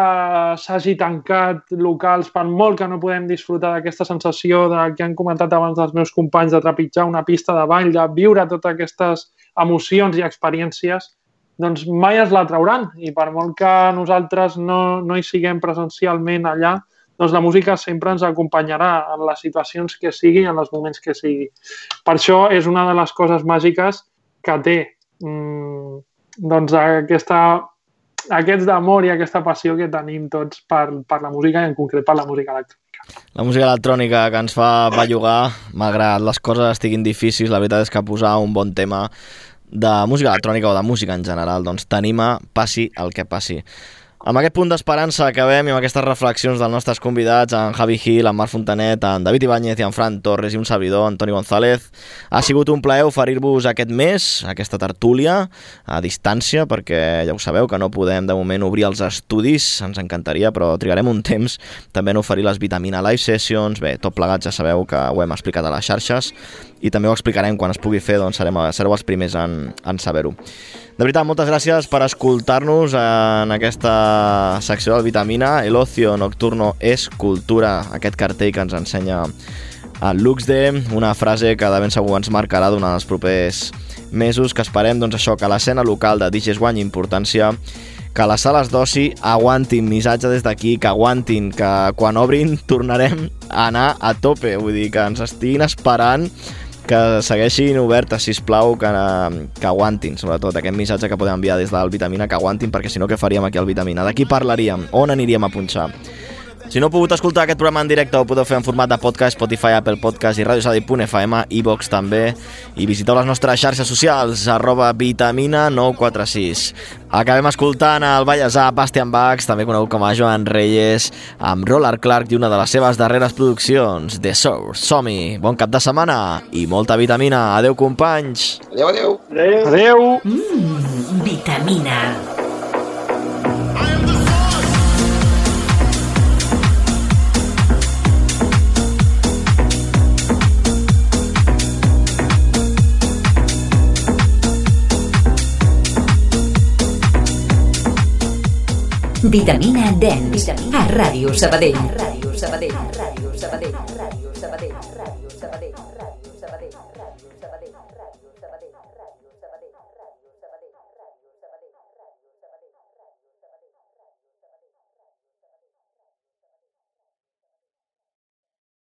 s'hagi tancat locals, per molt que no podem disfrutar d'aquesta sensació de, que han comentat abans els meus companys, de trepitjar una pista de ball, de viure totes aquestes emocions i experiències, doncs mai es la trauran. I per molt que nosaltres no, no hi siguem presencialment allà, doncs la música sempre ens acompanyarà en les situacions que sigui, en els moments que sigui. Per això és una de les coses màgiques que té mmm, doncs aquesta, aquests d'amor i aquesta passió que tenim tots per, per la música i en concret per la música electrònica. La música electrònica que ens fa bellugar, malgrat les coses estiguin difícils, la veritat és que posar un bon tema de música electrònica o de música en general doncs t'anima, passi el que passi. Amb aquest punt d'esperança acabem i amb aquestes reflexions dels nostres convidats, en Javi Gil, en Marc Fontanet, en David Ibáñez i en Fran Torres i un servidor, Antoni González. Ha sigut un plaer oferir-vos aquest mes, aquesta tertúlia, a distància, perquè ja ho sabeu que no podem de moment obrir els estudis, ens encantaria, però trigarem un temps també en oferir les Vitamina Live Sessions. Bé, tot plegat ja sabeu que ho hem explicat a les xarxes i també ho explicarem quan es pugui fer, doncs serem, sereu els primers en, en saber-ho. De veritat, moltes gràcies per escoltar-nos en aquesta secció del Vitamina. El ocio nocturno és cultura, aquest cartell que ens ensenya el Luxde, una frase que de ben segur ens marcarà durant els propers mesos, que esperem doncs, això, que l'escena local de D Js guanyi importància, que les sales d'oci aguantin, missatge des d'aquí, que aguantin, que quan obrin tornarem a anar a tope, vull dir, que ens estiguin esperant, que segueixin obertes, sisplau, que, que aguantin, sobretot aquest missatge que podem enviar des del Vitamina, que aguantin, perquè si no, què faríem aquí al Vitamina? De qui parlaríem? On aniríem a punxar? Si no heu pogut escoltar aquest programa en directe, ho podeu fer en format de podcast, Spotify, Apple Podcast i radio sabadell punt f m, iVox també, i visiteu les nostres xarxes socials, arroba Vitamina nou quatre sis. Acabem escoltant el ballesà Bastian Bax, també conegut com a Joan Reyes, amb Roller Clark i una de les seves darreres produccions, The Source. Som-hi, bon cap de setmana i molta vitamina. Adeu, companys. Adeu, adeu. Adeu. Adeu. Mm, vitamina. Vitamina Dance. A Ràdio Sabadell. Ràdio Sabadell. Ràdio Sabadell. Ràdio Sabadell. Ràdio Sabadell. Ràdio Sabadell. Ràdio Sabadell.